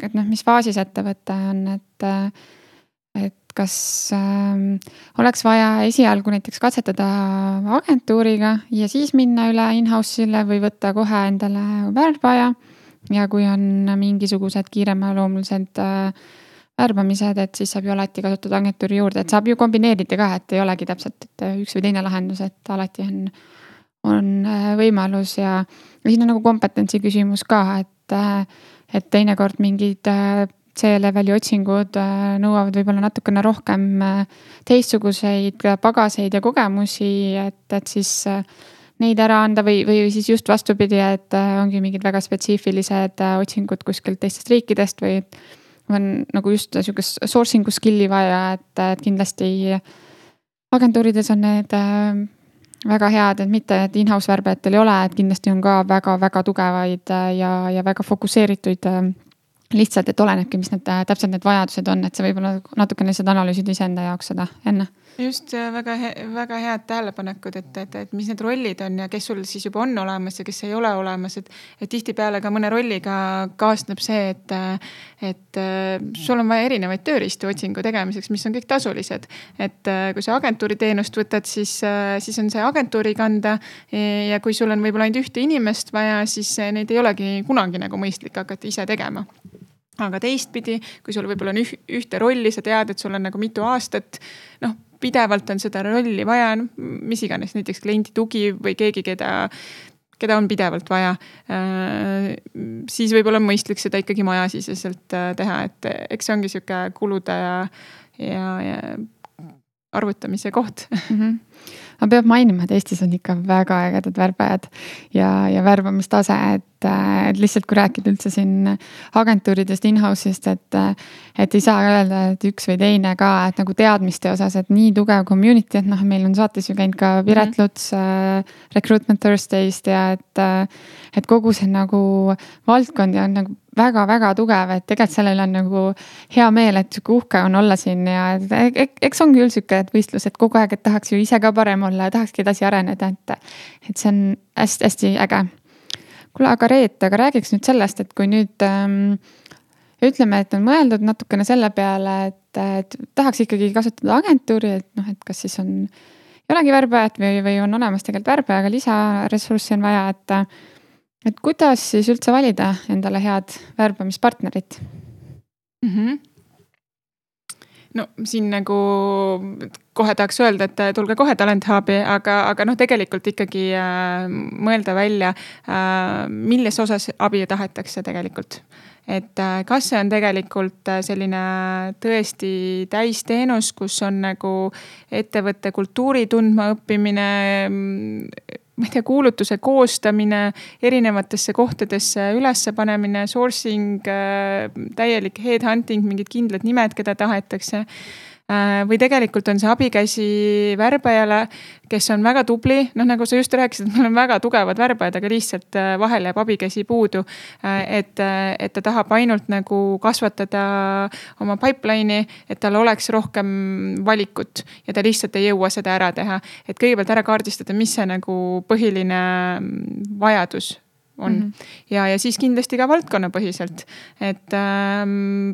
et noh, mis faasis ettevõte on, et, et kas äh, oleks vaja esialgu näiteks katsetada agentuuriga ja siis minna üle in-house'ile või võtta kohe endale värbaja. Ja kui on mingisugused kiiremaloomulised äh, värbamised, et siis saab ju alati kasutada agentuuri juurde, et saab ju kombineerida ka, et ei olegi täpselt et üks või teine lahendus, et alati on, on võimalus ja, ja siin on nagu kompetentsi küsimus ka, et, et teinekord mingid äh, C-leveli otsingud nõuavad võib-olla natukene rohkem teistsuguseid pagaseid ja kogemusi, et, et siis neid ära anda või, või siis just vastupidi, et ongi mingid väga spetsiifilised otsingud kuskilt teistest riikidest või on nagu just niisugust sourcing'u skill'i vaja, et, et kindlasti agentuurides on need väga head, et mitte, et in-house värbajatel ei ole, et kindlasti on ka väga-väga tugevaid ja, ja väga fokusseeritud lihtsalt, et olenebki, mis need täpselt need vajadused on, et see võib-olla natukene lihtsalt analüüsida iseenda jaoks seda enne. Just väga, he, väga head tähelepanekud, et, et, et mis need rollid on ja kes sul siis juba on olemas ja kes ei ole olemas, et, et tihti peale ka mõne rolliga kaasneb see, et, et sul on vaja erinevaid tööriistu otsingu tegemiseks, mis on kõik tasulised. Et kui sa agentuuri teenust võtad, siis, siis on see agentuuri kanda ja kui sul on võib-olla ainult ühte inimest vaja, siis neid ei olegi kunagi nagu mõistlik hakata ise tegema. Aga teistpidi, kui sul võib-olla on ühte rolli, sa tead, et sul on nagu mitu aastat, noh, pidevalt on seda rolli vaja, mis iganes, näiteks kliendi tugi või keegi, keda, keda on pidevalt vaja, siis võib-olla on mõistlik seda ikkagi majasiseselt teha, et eks see ongi sihuke kulude ja, ja, ja arvutamise koht. Mm-hmm. Ma peab mainima, et Eestis on ikka väga ägedad värbajad ja, ja värbamistase, et, et lihtsalt kui rääkida üldse siin agentuuridest, in-house'ist, et, et ei saa öelda, et üks või teine ka, et nagu teadmiste osas, et nii tugev community, et noh, meil on saates ju käinud ka Piret Luts mm-hmm. uh, Recruitment Thursday'st ja et, et kogu see nagu valdkond ja on nagu väga-väga tugev, et tegelikult sellel on nagu hea meel, et uhke on olla siin ja eks ongi üldse siuke võistlus, et kogu aeg, et tahaks ju ise ka parem olla ja tahakski edasi areneda, et, et see on hästi-hästi äge. Kuule, aga Reet, aga räägiks nüüd sellest, et kui nüüd ähm, ütleme, et on mõeldud natukene selle peale, et, et tahaks ikkagi kasutada agentuuri, et noh, et kas siis on, ei olegi värbajat või, või on olemas tegelikult värbaja, aga lisaressurssi on vaja, et Et kuidas siis üldse valida endale head värbamispartnerit? Mm-hmm. No siin nagu kohe tahaks öelda, et tulge kohe Talent Hubi, aga, aga noh, tegelikult ikkagi äh, mõelda välja, äh, milles osas abi tahetakse tegelikult. Et äh, kas see on tegelikult selline tõesti täisteenus, kus on nagu ettevõtte kultuuri tundma õppimine, ma ei tea, kuulutuse koostamine, erinevatesse kohtadesse ülesse panemine, sourcing, täielik headhunting, mingid kindlad nimed, keda tahetakse. Või tegelikult on see abikäsi värbajale, kes on väga tubli, noh nagu sa just rääkisid, et meil on väga tugevad värbajad, aga lihtsalt vahel jääb abikäsi puudu, et, et ta tahab ainult nagu kasvatada oma pipeline'i, et tal oleks rohkem valikut ja ta lihtsalt ei jõua seda ära teha. Et kõigepealt ära kaardistada, mis see nagu põhiline vajadus on. Mm-hmm. Ja, ja siis kindlasti ka valdkonnapõhiselt, et ähm,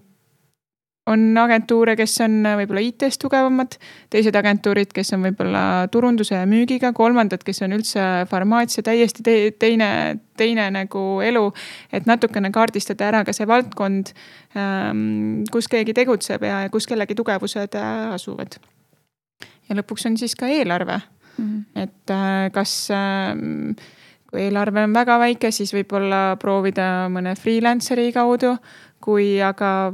on agentuure, kes on võib-olla I T-st tugevamad, teised agentuurid, kes on võib-olla turunduse ja müügiga, kolmandad, kes on üldse farmaatsia, täiesti teine, teine nagu elu, et natukene kaardistada ära ka see valdkond, kus keegi tegutseb ja kus kellegi tugevused asuvad. Ja lõpuks on siis ka eelarve, mm-hmm. et kas kui eelarve on väga väike, siis võib-olla proovida mõne freelanceri kaudu, kui aga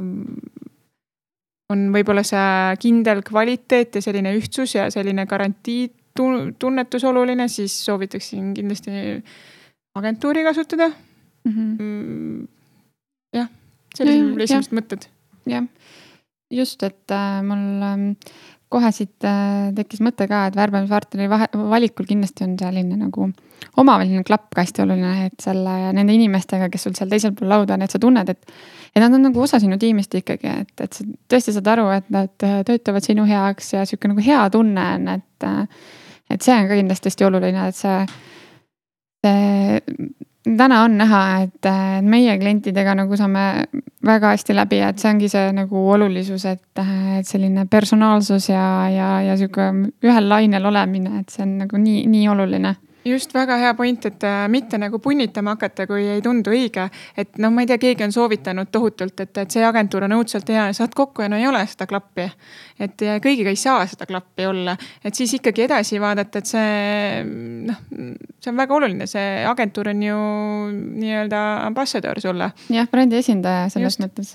on võib-olla see kindel kvaliteet ja selline ühtsus ja selline garantii tunnetus oluline, siis soovitaksin kindlasti agentuuri kasutada. Mm-hmm. jah, sellised esimesed mõtted. Jah, just, et äh, mul äh, kohe siit äh, tekkis mõte ka, et värbamispartneri vahe, valikul kindlasti on selline nagu omavaheline klapp ka hästi oluline, et selle nende inimestega, kes sul seal teisel pool lauda on, et sa tunned, et, et nad on nagu osa sinu tiimist ikkagi, et, et sa tõesti saad aru, et nad töötavad sinu heaks ja siuke nagu hea tunne on, et, et see on ka kindlasti hästi oluline, et see, see täna on näha, et meie klientidega nagu saame väga hästi läbi, et see ongi see nagu olulisus, et, et selline personaalsus ja, ja, ja siuke ühel lainel olemine, et see on nagu nii, nii oluline. Just väga hea point, et mitte nagu punnitama hakata, kui ei tundu õige. Et no ma ei tea, keegi on soovitanud tohutult, et, et see agentuur on õudselt hea ja saad kokku ja no ei ole seda klappi. Et kõigiga ei saa seda klappi olla. Et siis ikkagi edasi vaadata, et see, no, see on väga oluline. See agentuur on ju nii-öelda ambassador sulle. Jah, brändi esindaja selles Just. mõttes.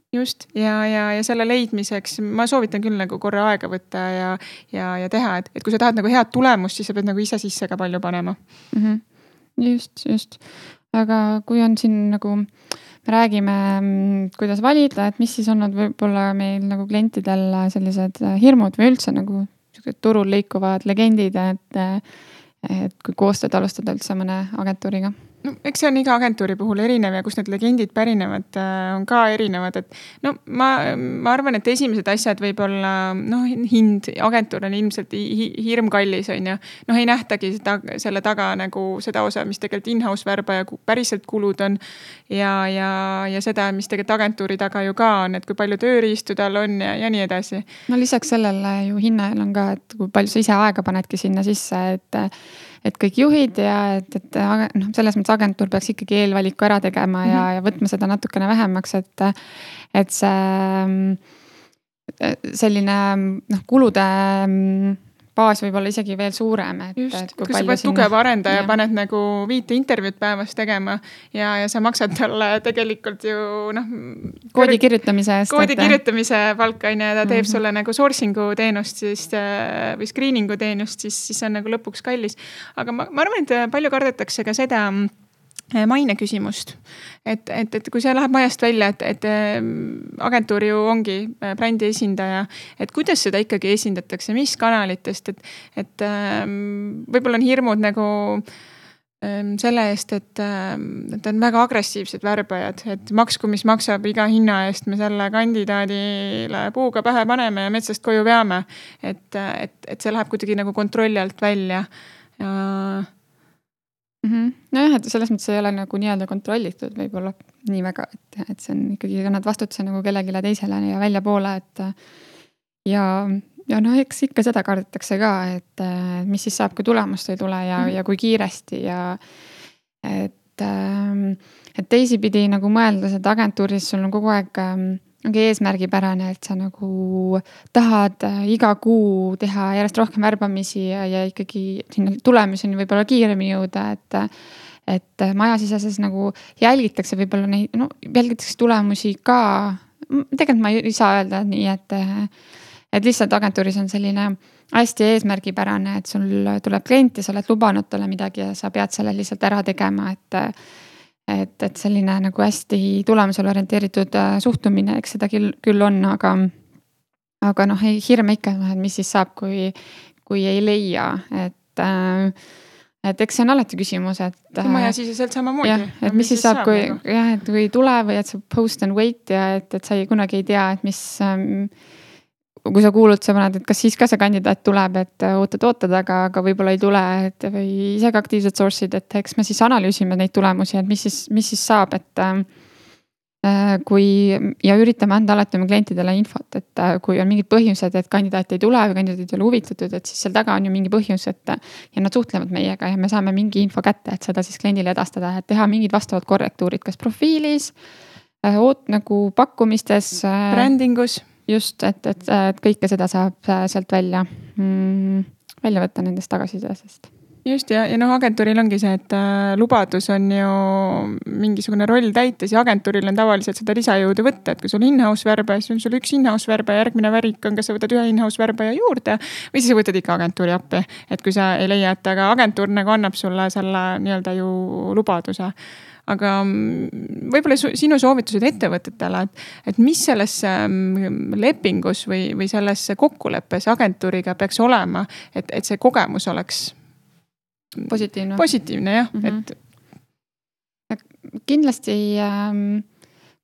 Just, ja, ja, ja selle leidmiseks ma soovitan küll nagu korra aega võtta ja, ja, ja teha, et, et kui sa tahad nagu head tulemust, siis sa pead nagu ise sisse ka palju panema. Mm-hmm. Just, just. Aga kui on siin nagu, me räägime, kuidas valida, et mis siis on võib-olla meil nagu klientidel sellised hirmud või üldse nagu turul liikuvad legendid, et, et kui koostööd alustada üldse mõne agentuuriga. No, eks see on iga agentuuri puhul erinev ja kus need legendid pärinevad, on ka erinevad, et no ma, ma arvan, et esimesed asjad võib olla, noh, hind, agentuur on ilmselt hirm kallis, on ju. Noh, ei nähtagi seda, selle taga nagu seda osa, mis tegelikult in-house värbaja päriselt kulud on ja, ja, ja seda, mis tegelikult agentuuri taga ju ka on, et kui palju tööriistu tal on ja, ja nii edasi. No lisaks sellele ju hinnal on ka, et kui palju sa ise aega panedki sinna sisse, et et kõik juhid ja et, et no, selles mõttes agentuur peaks ikkagi eelvaliku ära tegema ja, mm-hmm. ja võtma seda natukene vähemaks, et, et see selline noh, kulude baas võib olla isegi veel suurem. Et, Just, et kui, kui sa pead sinna... tugeva arendaja, paned nagu viite intervjuud päevas tegema ja, ja sa maksad talle tegelikult ju noh... Koodi kirjutamise eest. Koodi et... kirjutamise palka, ja ta teeb mm-hmm. sulle nagu sourcing'u teenust siis, või screening'u teenust, siis, siis on nagu lõpuks kallis. Aga ma, ma arvan, et palju kardetakse ka seda maine küsimust. Et, et, et kui see läheb majast välja, et, et agentuur ju ongi brändi esindaja, et kuidas seda ikkagi esindatakse, mis kanalitest, et, et võib-olla on hirmud nagu selle eest, et, et on väga agressiivsed värbajad, et maksku, mis maksab iga hinna eest, me selle kandidaadile puuga pähe paneme ja metsast koju veame. Et, et, et see läheb kuidagi nagu kontrolli alt välja ja Mm-hmm. Nojah, et selles mõttes ei ole nagu nii-öelda kontrollitud võib-olla nii väga, et, et see on ikkagi, nad vastutuse nagu kellegile teisele ja välja poole, et ja, ja noh, eks ikka seda kardetakse ka, et mis siis saab, kui tulemust ei tule ja, mm-hmm. ja kui kiiresti ja et, et teisipidi nagu mõeldes, et agentuuris sul on kogu aeg ongi eesmärgipärane, et sa nagu tahad iga kuu teha järjest rohkem värbamisi ja, ja ikkagi sinna tulemuseni võib-olla kiiremini jõuda, et, et majasiseses nagu jälgitakse võib-olla neid, no jälgitakse tulemusi ka, tegelikult ma ei saa öelda nii, et, et lihtsalt agentuuris on selline hästi eesmärgipärane, et sul tuleb klient ja sa oled lubanud talle midagi ja sa pead selle lihtsalt ära tegema, et Et, et selline nagu hästi tulemusele orienteeritud suhtumine, eks seda küll, küll on, aga, aga noh, ei hirme ikka, et mis siis saab, kui, kui ei leia, et, et eks see on alati küsimus, et. Kui maja siseselt samamoodi. Jah, et mis, mis siis saab, saab kui, nagu? Jah, et kui tule või et sa post and wait ja et, et sa ei kunagi ei tea, et mis, kui sa kuulud, sa paned, et kas siis ka see kandidaat tuleb, et ootad, ootad, aga, aga võib-olla ei tule, et või ise ka aktiivsed source'id, et eks me siis analüüsime neid tulemusi, et mis siis, mis siis saab, et äh, kui ja üritame anda alati oma klientidele infot, et äh, kui on mingid põhjused, et kandidaat ei tule või kandidaat ei ole huvitatud, et siis seal taga on ju mingi põhjus, et ja nad suhtlevad meiega ja me saame mingi info kätte, et seda siis kliendile edastada, et teha mingid vastavad korrektuurid, kas profiilis, äh, oot, nagu pakkumistes äh,. Brändingus. Just, et, et, et kõike seda saab sealt välja, mm, välja võtta nendest tagasisidesest. just ja, ja noh, agentuuril ongi see, et äh, lubadus on ju mingisugune roll täites ja agentuuril on tavaliselt seda lisajõudu võtta, et kui sul in-house värbaja, siis on sul üks in-house värbaja, järgmine värik on, kas sa võtad ühe in-house värbaja juurde või siis võtad ikka agentuuri appi. Et kui sa ei leia, et aga agentuur nagu annab sulle selle nii-öelda ju lubaduse. Aga võib-olla sinu soovitused ettevõtetele, et, et mis selles lepingus või, või selles kokkuleppes agentuuriga peaks olema, et, et see kogemus oleks positiivne. Positiivne jah, mm-hmm. et. Kindlasti ähm,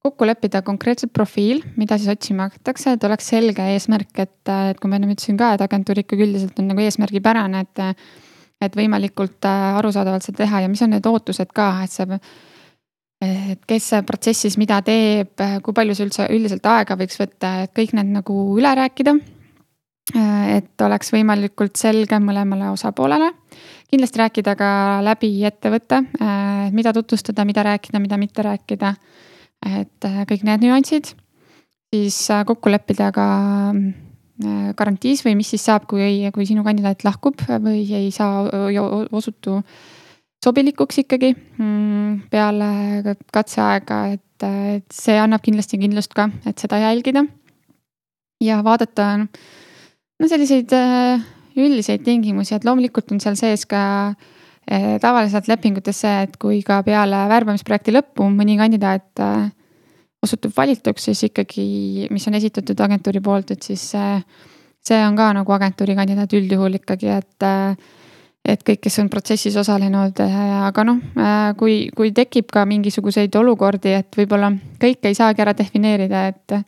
kokku leppida konkreetselt profiil, mida siis otsima hakatakse, et oleks selge eesmärk, et, et kui ma enne ütlesin ka, et agentuur ikkagi üldiselt on nagu eesmärgipärane, et, et võimalikult arusaadavalt seda teha ja mis on need ootused ka, et see, et kes protsessis mida teeb, kui palju see üldse üldiselt aega võiks võtta, et kõik need nagu üle rääkida, et oleks võimalikult selge mõlemale osapoolele. Kindlasti rääkida ka läbi ettevõtte, mida tutvustada, mida rääkida, mida mitte rääkida, et kõik need nüansid. Siis kokku leppida ka garantiis või mis siis saab, kui, kui sinu kandidaat lahkub või ei saa osutu sobilikuks ikkagi peale katseaega, et, et see annab kindlasti kindlust ka, et seda jälgida. Ja vaadata no selliseid üldiseid tingimusi, et loomulikult on seal sees ka eh, tavaliselt lepingutes see, et kui ka peale värbamisprojekti lõppu mõni kandidaat eh, osutub valituks, siis ikkagi, mis on esitatud agentuuri poolt, et siis eh, see on ka nagu agentuuri kandidaat üldjuhul ikkagi, et, eh, et kõik, kes on protsessis osalenud, eh, aga noh, eh, kui, kui tekib ka mingisuguseid olukordi, et võib-olla kõike ei saagi ära defineerida, et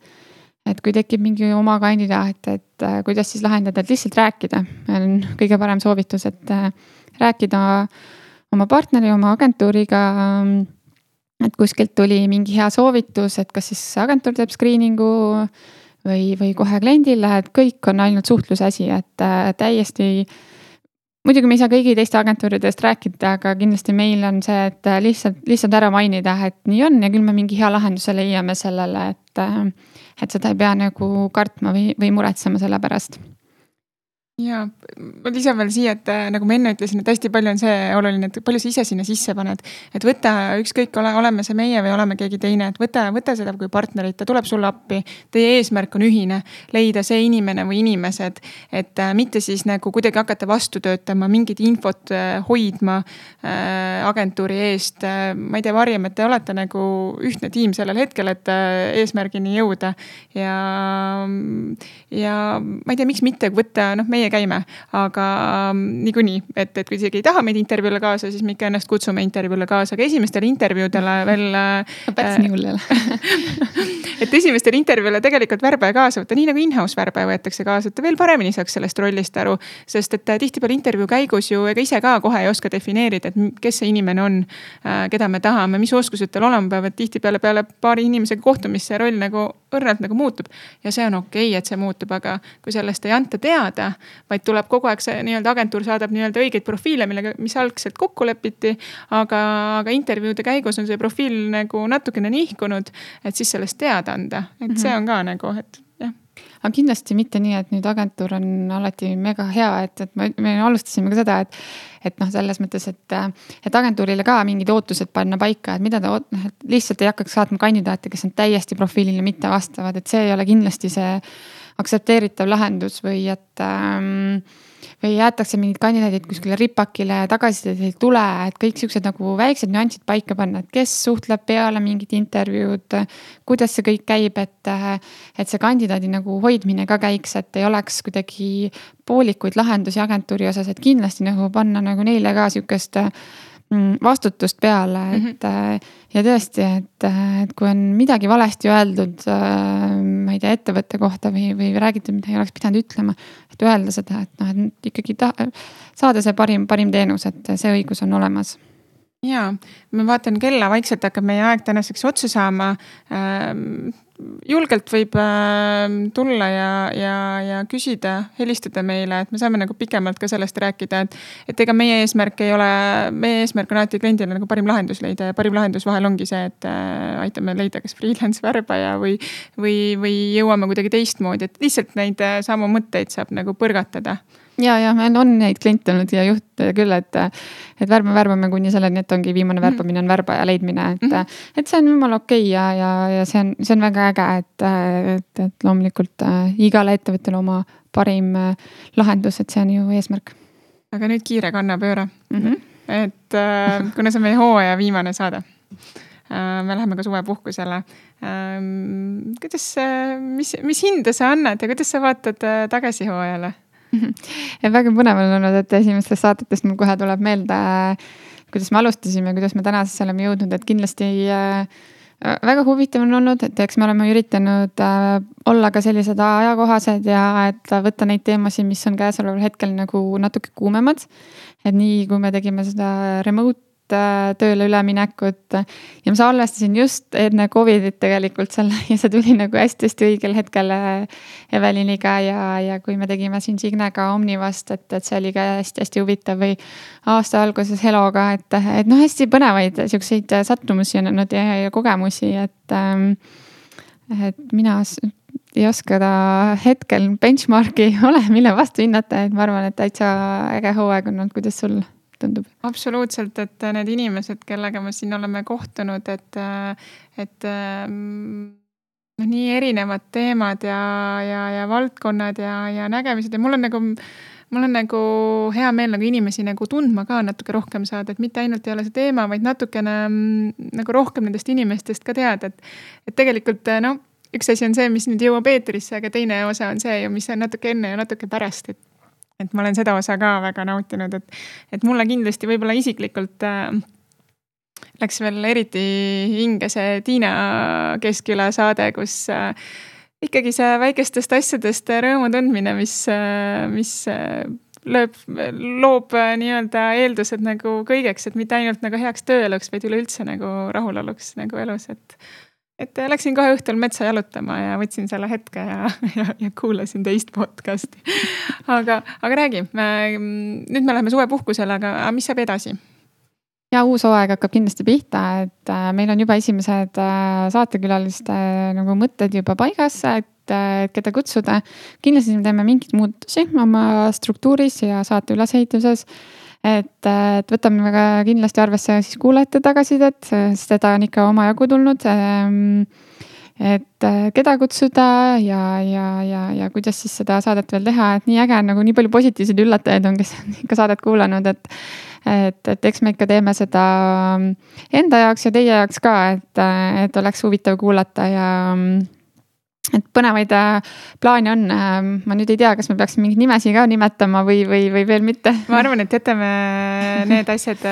et kui tekib mingi oma kandidaat, et kuidas siis lahendada, et lihtsalt rääkida. On kõige parem soovitus, et rääkida oma partneri, oma agentuuriga, et kuskilt tuli mingi hea soovitus, et kas siis agentuur teeb screeningu või, või kohe kliendile, et kõik on ainult suhtluse asi, et täiesti, muidugi me ei saa kõigi teiste agentuuridest rääkida, aga kindlasti meil on see, et lihtsalt, lihtsalt ära mainida, et nii on ja küll me mingi hea lahenduse leiame sellele, et et seda ei pea nagu kartma või, või muretsema selle pärast. Ja ma lisan veel siia, et nagu ma enne ütlesin, et hästi palju on see oluline, et palju sa ise sinna sisse paned. Et võta ükskõik, ole, oleme see meie või oleme keegi teine, et võta, võta seda kui partnerit, ta tuleb sulle appi. Teie eesmärk on ühine, leida see inimene või inimesed, et mitte siis nagu kuidagi hakata vastu töötama, mingit infot hoidma äh, agentuuri eest. Ma ei tea, varjem, et te olete nagu ühtne tiim sellel hetkel, et eesmärgini jõuda. Ja, ja ma ei tea, miks mitte võtta, noh, meie käime, aga niikuinii, et, et kui isegi ei taha meid intervjuule kaasa, siis me ikka ennast kutsume intervjuule kaasa, aga esimestele intervjuudele veel päris nii hull jälle. Et esimestele intervjuule tegelikult värbaja kaasa võtta, nii nagu in-house värbaja võetakse kaasa, et veel paremini saaks sellest rollist aru, sest et tihtipeale intervjuu käigus ju ega ise ka kohe ei oska defineerida, et kes see inimene on, keda me tahame, mis oskused tal olema peab, et tihtipeale peale paari inimesega kohtumist see roll nagu õrnalt nagu muutub ja see on okei, et see muutub, aga kui sellest ei anta teada, vaid tuleb kogu aeg see nii-öelda agentuur saadab nii-öelda õigeid profiile, millega, mis algselt kokku lepiti, aga, aga intervjuude käigus on see profiil nagu natukene nihkunud, et siis sellest teada anda, et see on ka nagu, et jah. Aga kindlasti mitte nii, et nüüd agentuur on alati mega hea, et, et me, me alustasime ka seda, et, et noh, selles mõttes, et, et agentuurile ka mingid ootused panna paika, et mida ta lihtsalt ei hakkaks saatma kandidaate, kes on täiesti profiilile mitte vastavad, et see ei ole kindlasti see aktsepteeritav lahendus või et ähm, või jäetakse mingid kandidaadid kuskile ripakile tagasisidet ei tule, et kõik siuksed nagu väiksed nüansid paika panna, et kes suhtleb peale mingid intervjuud, kuidas see kõik käib, et, et see kandidaadi nagu hoidmine ka käiks, et ei oleks kuidagi poolikuid lahendusi agentuuri osas, et kindlasti nagu panna nagu neile ka siukest vastutust peale, et mm-hmm. ja tõesti, et, et kui on midagi valesti öeldud, ma ei tea, ettevõtte kohta või, või räägitud, mida ei oleks pidanud ütlema, et öelda seda, et noh, et ikkagi ta, saada see parim, parim teenus, et see õigus on olemas. Jaa, ma vaatan kella, vaikselt hakkab meie aeg tänaseks otsa saama. Julgelt võib tulla ja, ja, ja küsida, helistada meile, et me saame nagu pikemalt ka sellest rääkida, et, et ega meie eesmärk ei ole, meie eesmärk on alati kliendile nagu parim lahendus leida ja parim lahendus vahel ongi see, et aitame leida kas freelance värbaja või, või, või jõuame kuidagi teistmoodi, et lihtsalt neid samu mõtteid saab nagu põrgatada. ja, ja meil on neid kliente olnud ja juhte küll, et, et värbame, värbame kuni selleni, et ongi viimane värbamine on värbaja leidmine, et, mm-hmm. et see on jumala okei okay ja, ja, ja see on, see on väga äge, et, et, et loomulikult äh, igale ettevõttele oma parim äh, lahendus, et see on ju eesmärk. Aga nüüd kiire kannapööre. Mm-hmm. Et äh, kuna see on meie hooaja viimane saade, äh, me läheme ka suvepuhkusele. Äh, kuidas, mis, mis hinde sa annad ja kuidas sa vaatad äh, tagasi hooajale? Ja väga põnev on olnud, et esimestest saatetest mul kohe tuleb meelde, kuidas me alustasime, kuidas me tänasesse oleme jõudnud, et kindlasti väga huvitav on olnud, et eks me oleme üritanud olla ka sellised ajakohased ja et võtta neid teemasid, mis on käesoleval hetkel nagu natuke kuumemad. Et nii, kui me tegime seda remote tööle üleminekut ja ma salvestasin just enne Covidit tegelikult selle ja see tuli nagu hästi-hästi õigel hetkel Eveliniga ja, ja kui me tegime siin Signega Omnivast, et, et see oli ka hästi-hästi huvitav või aasta alguses Heloga, et, et noh, hästi põnevaid siukseid sattumusi on olnud ja, ja kogemusi, et, et mina ei oska ta hetkel benchmarki ole, mille vastu hinnata, et ma arvan, et täitsa äge hooaeg on olnud, kuidas sul tundub? Absoluutselt, et need inimesed, kellega me siin oleme kohtunud, et, et no, nii erinevad teemad ja, ja, ja valdkonnad ja, ja nägemised ja mul on nagu, mul on nagu hea meel nagu inimesi nagu tundma ka natuke rohkem saada, et mitte ainult ei ole see teema, vaid natukene nagu rohkem nendest inimestest ka teada, et, et tegelikult no, üks asi on see, mis nüüd jõuab eetrisse, aga teine osa on see ju, mis on natuke enne ja natuke pärast, et et ma olen seda osa ka väga nautinud, et, et mulle kindlasti võib-olla isiklikult äh, läks veel eriti hinge see Tiina Keskküla saade, kus äh, ikkagi see väikestest asjadest rõõmu tundmine, mis, äh, mis äh, lööb, loob äh, nii-öelda eeldused nagu kõigeks, et mitte ainult nagu heaks tööeluks, vaid üleüldse nagu rahuloluks nagu elus, et Et läksin kohe õhtul metsa jalutama ja võtsin selle hetke ja, ja, ja kuulasin teist podcasti. Aga, aga räägi, me, nüüd me läheme suvepuhkusele, aga mis saab edasi? Ja uus hooaeg hakkab kindlasti pihta, et meil on juba esimesed saatekülaliste nagu mõtted juba paigas, et keda kutsuda. Kindlasti me teeme mingid muutusi oma struktuuris ja saate ülesehituses. Et, et võtame väga kindlasti arvesse siis kuulajate tagasisidet, sest seda on ikka omajagu tulnud. Et keda kutsuda ja, ja, ja, ja kuidas siis seda saadet veel teha, et nii äge, nagu nii palju positiivseid üllatajaid on, kes on ikka saadet kuulanud, et, et, et eks me ikka teeme seda enda jaoks ja teie jaoks ka, et, et oleks huvitav kuulata ja et põnevaid plaane on. Ma nüüd ei tea, kas me peaksime mingid nimesi ka nimetama või, või, või veel mitte. Ma arvan, et jätame need asjad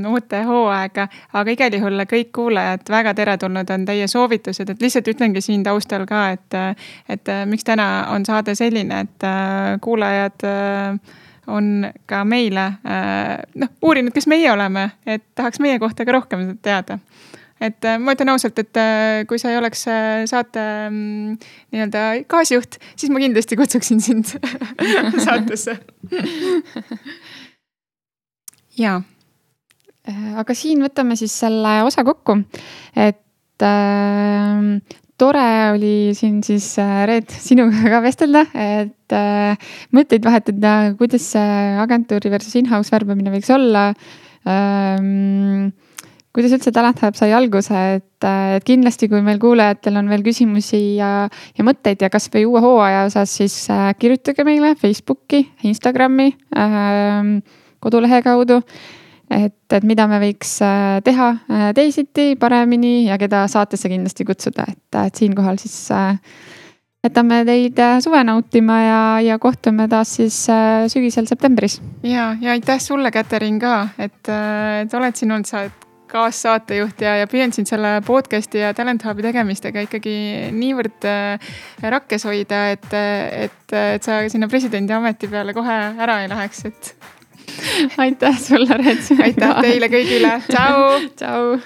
uute hooaega, aga igal juhul kõik kuulajad väga teretulnud on teie soovitused, et lihtsalt ütlengi siin taustal ka, et, et miks täna on saade selline, et kuulajad on ka meile noh, uurinud, kes meie oleme, et tahaks meie kohta ka rohkem teada. Et ma ütlen ausalt, et kui sa ei oleks saate nii-öelda gaasijuht, siis ma kindlasti kutsuksin sind saatesse. Jaa. Aga siin võtame siis selle osa kokku, et äh, tore oli siin siis Reet sinuga ka vestelda, et äh, mõtteid vahetada, kuidas agentuuri versus in-house värbamine võiks olla. Ähm, Kuidas üldse Talent Hub sai alguse, et, et kindlasti kui meil kuulajatel on veel küsimusi ja, ja mõtteid ja kas või uue hooaja osas, siis kirjutage meile Facebooki, Instagrami, äh, kodulehe kaudu, et, et mida me võiks teha teisiti, paremini ja keda saatesse kindlasti kutsuda, et, et siinkohal siis äh, jätame teid suve nautima ja, ja kohtume taas siis äh, sügisel septembris. Ja, ja aitäh sulle, Käterin, ka, et, et oled siin olnud sa kaassaatejuht ja, ja püüan siin selle podcasti ja Talent Hubi tegemistega ikkagi niivõrd rakkes hoida, et, et, et sa sinna presidendi ameti peale kohe ära ei läheks, et aitäh sulle, Reet. Aitäh teile kõigile. Tšau. Tšau.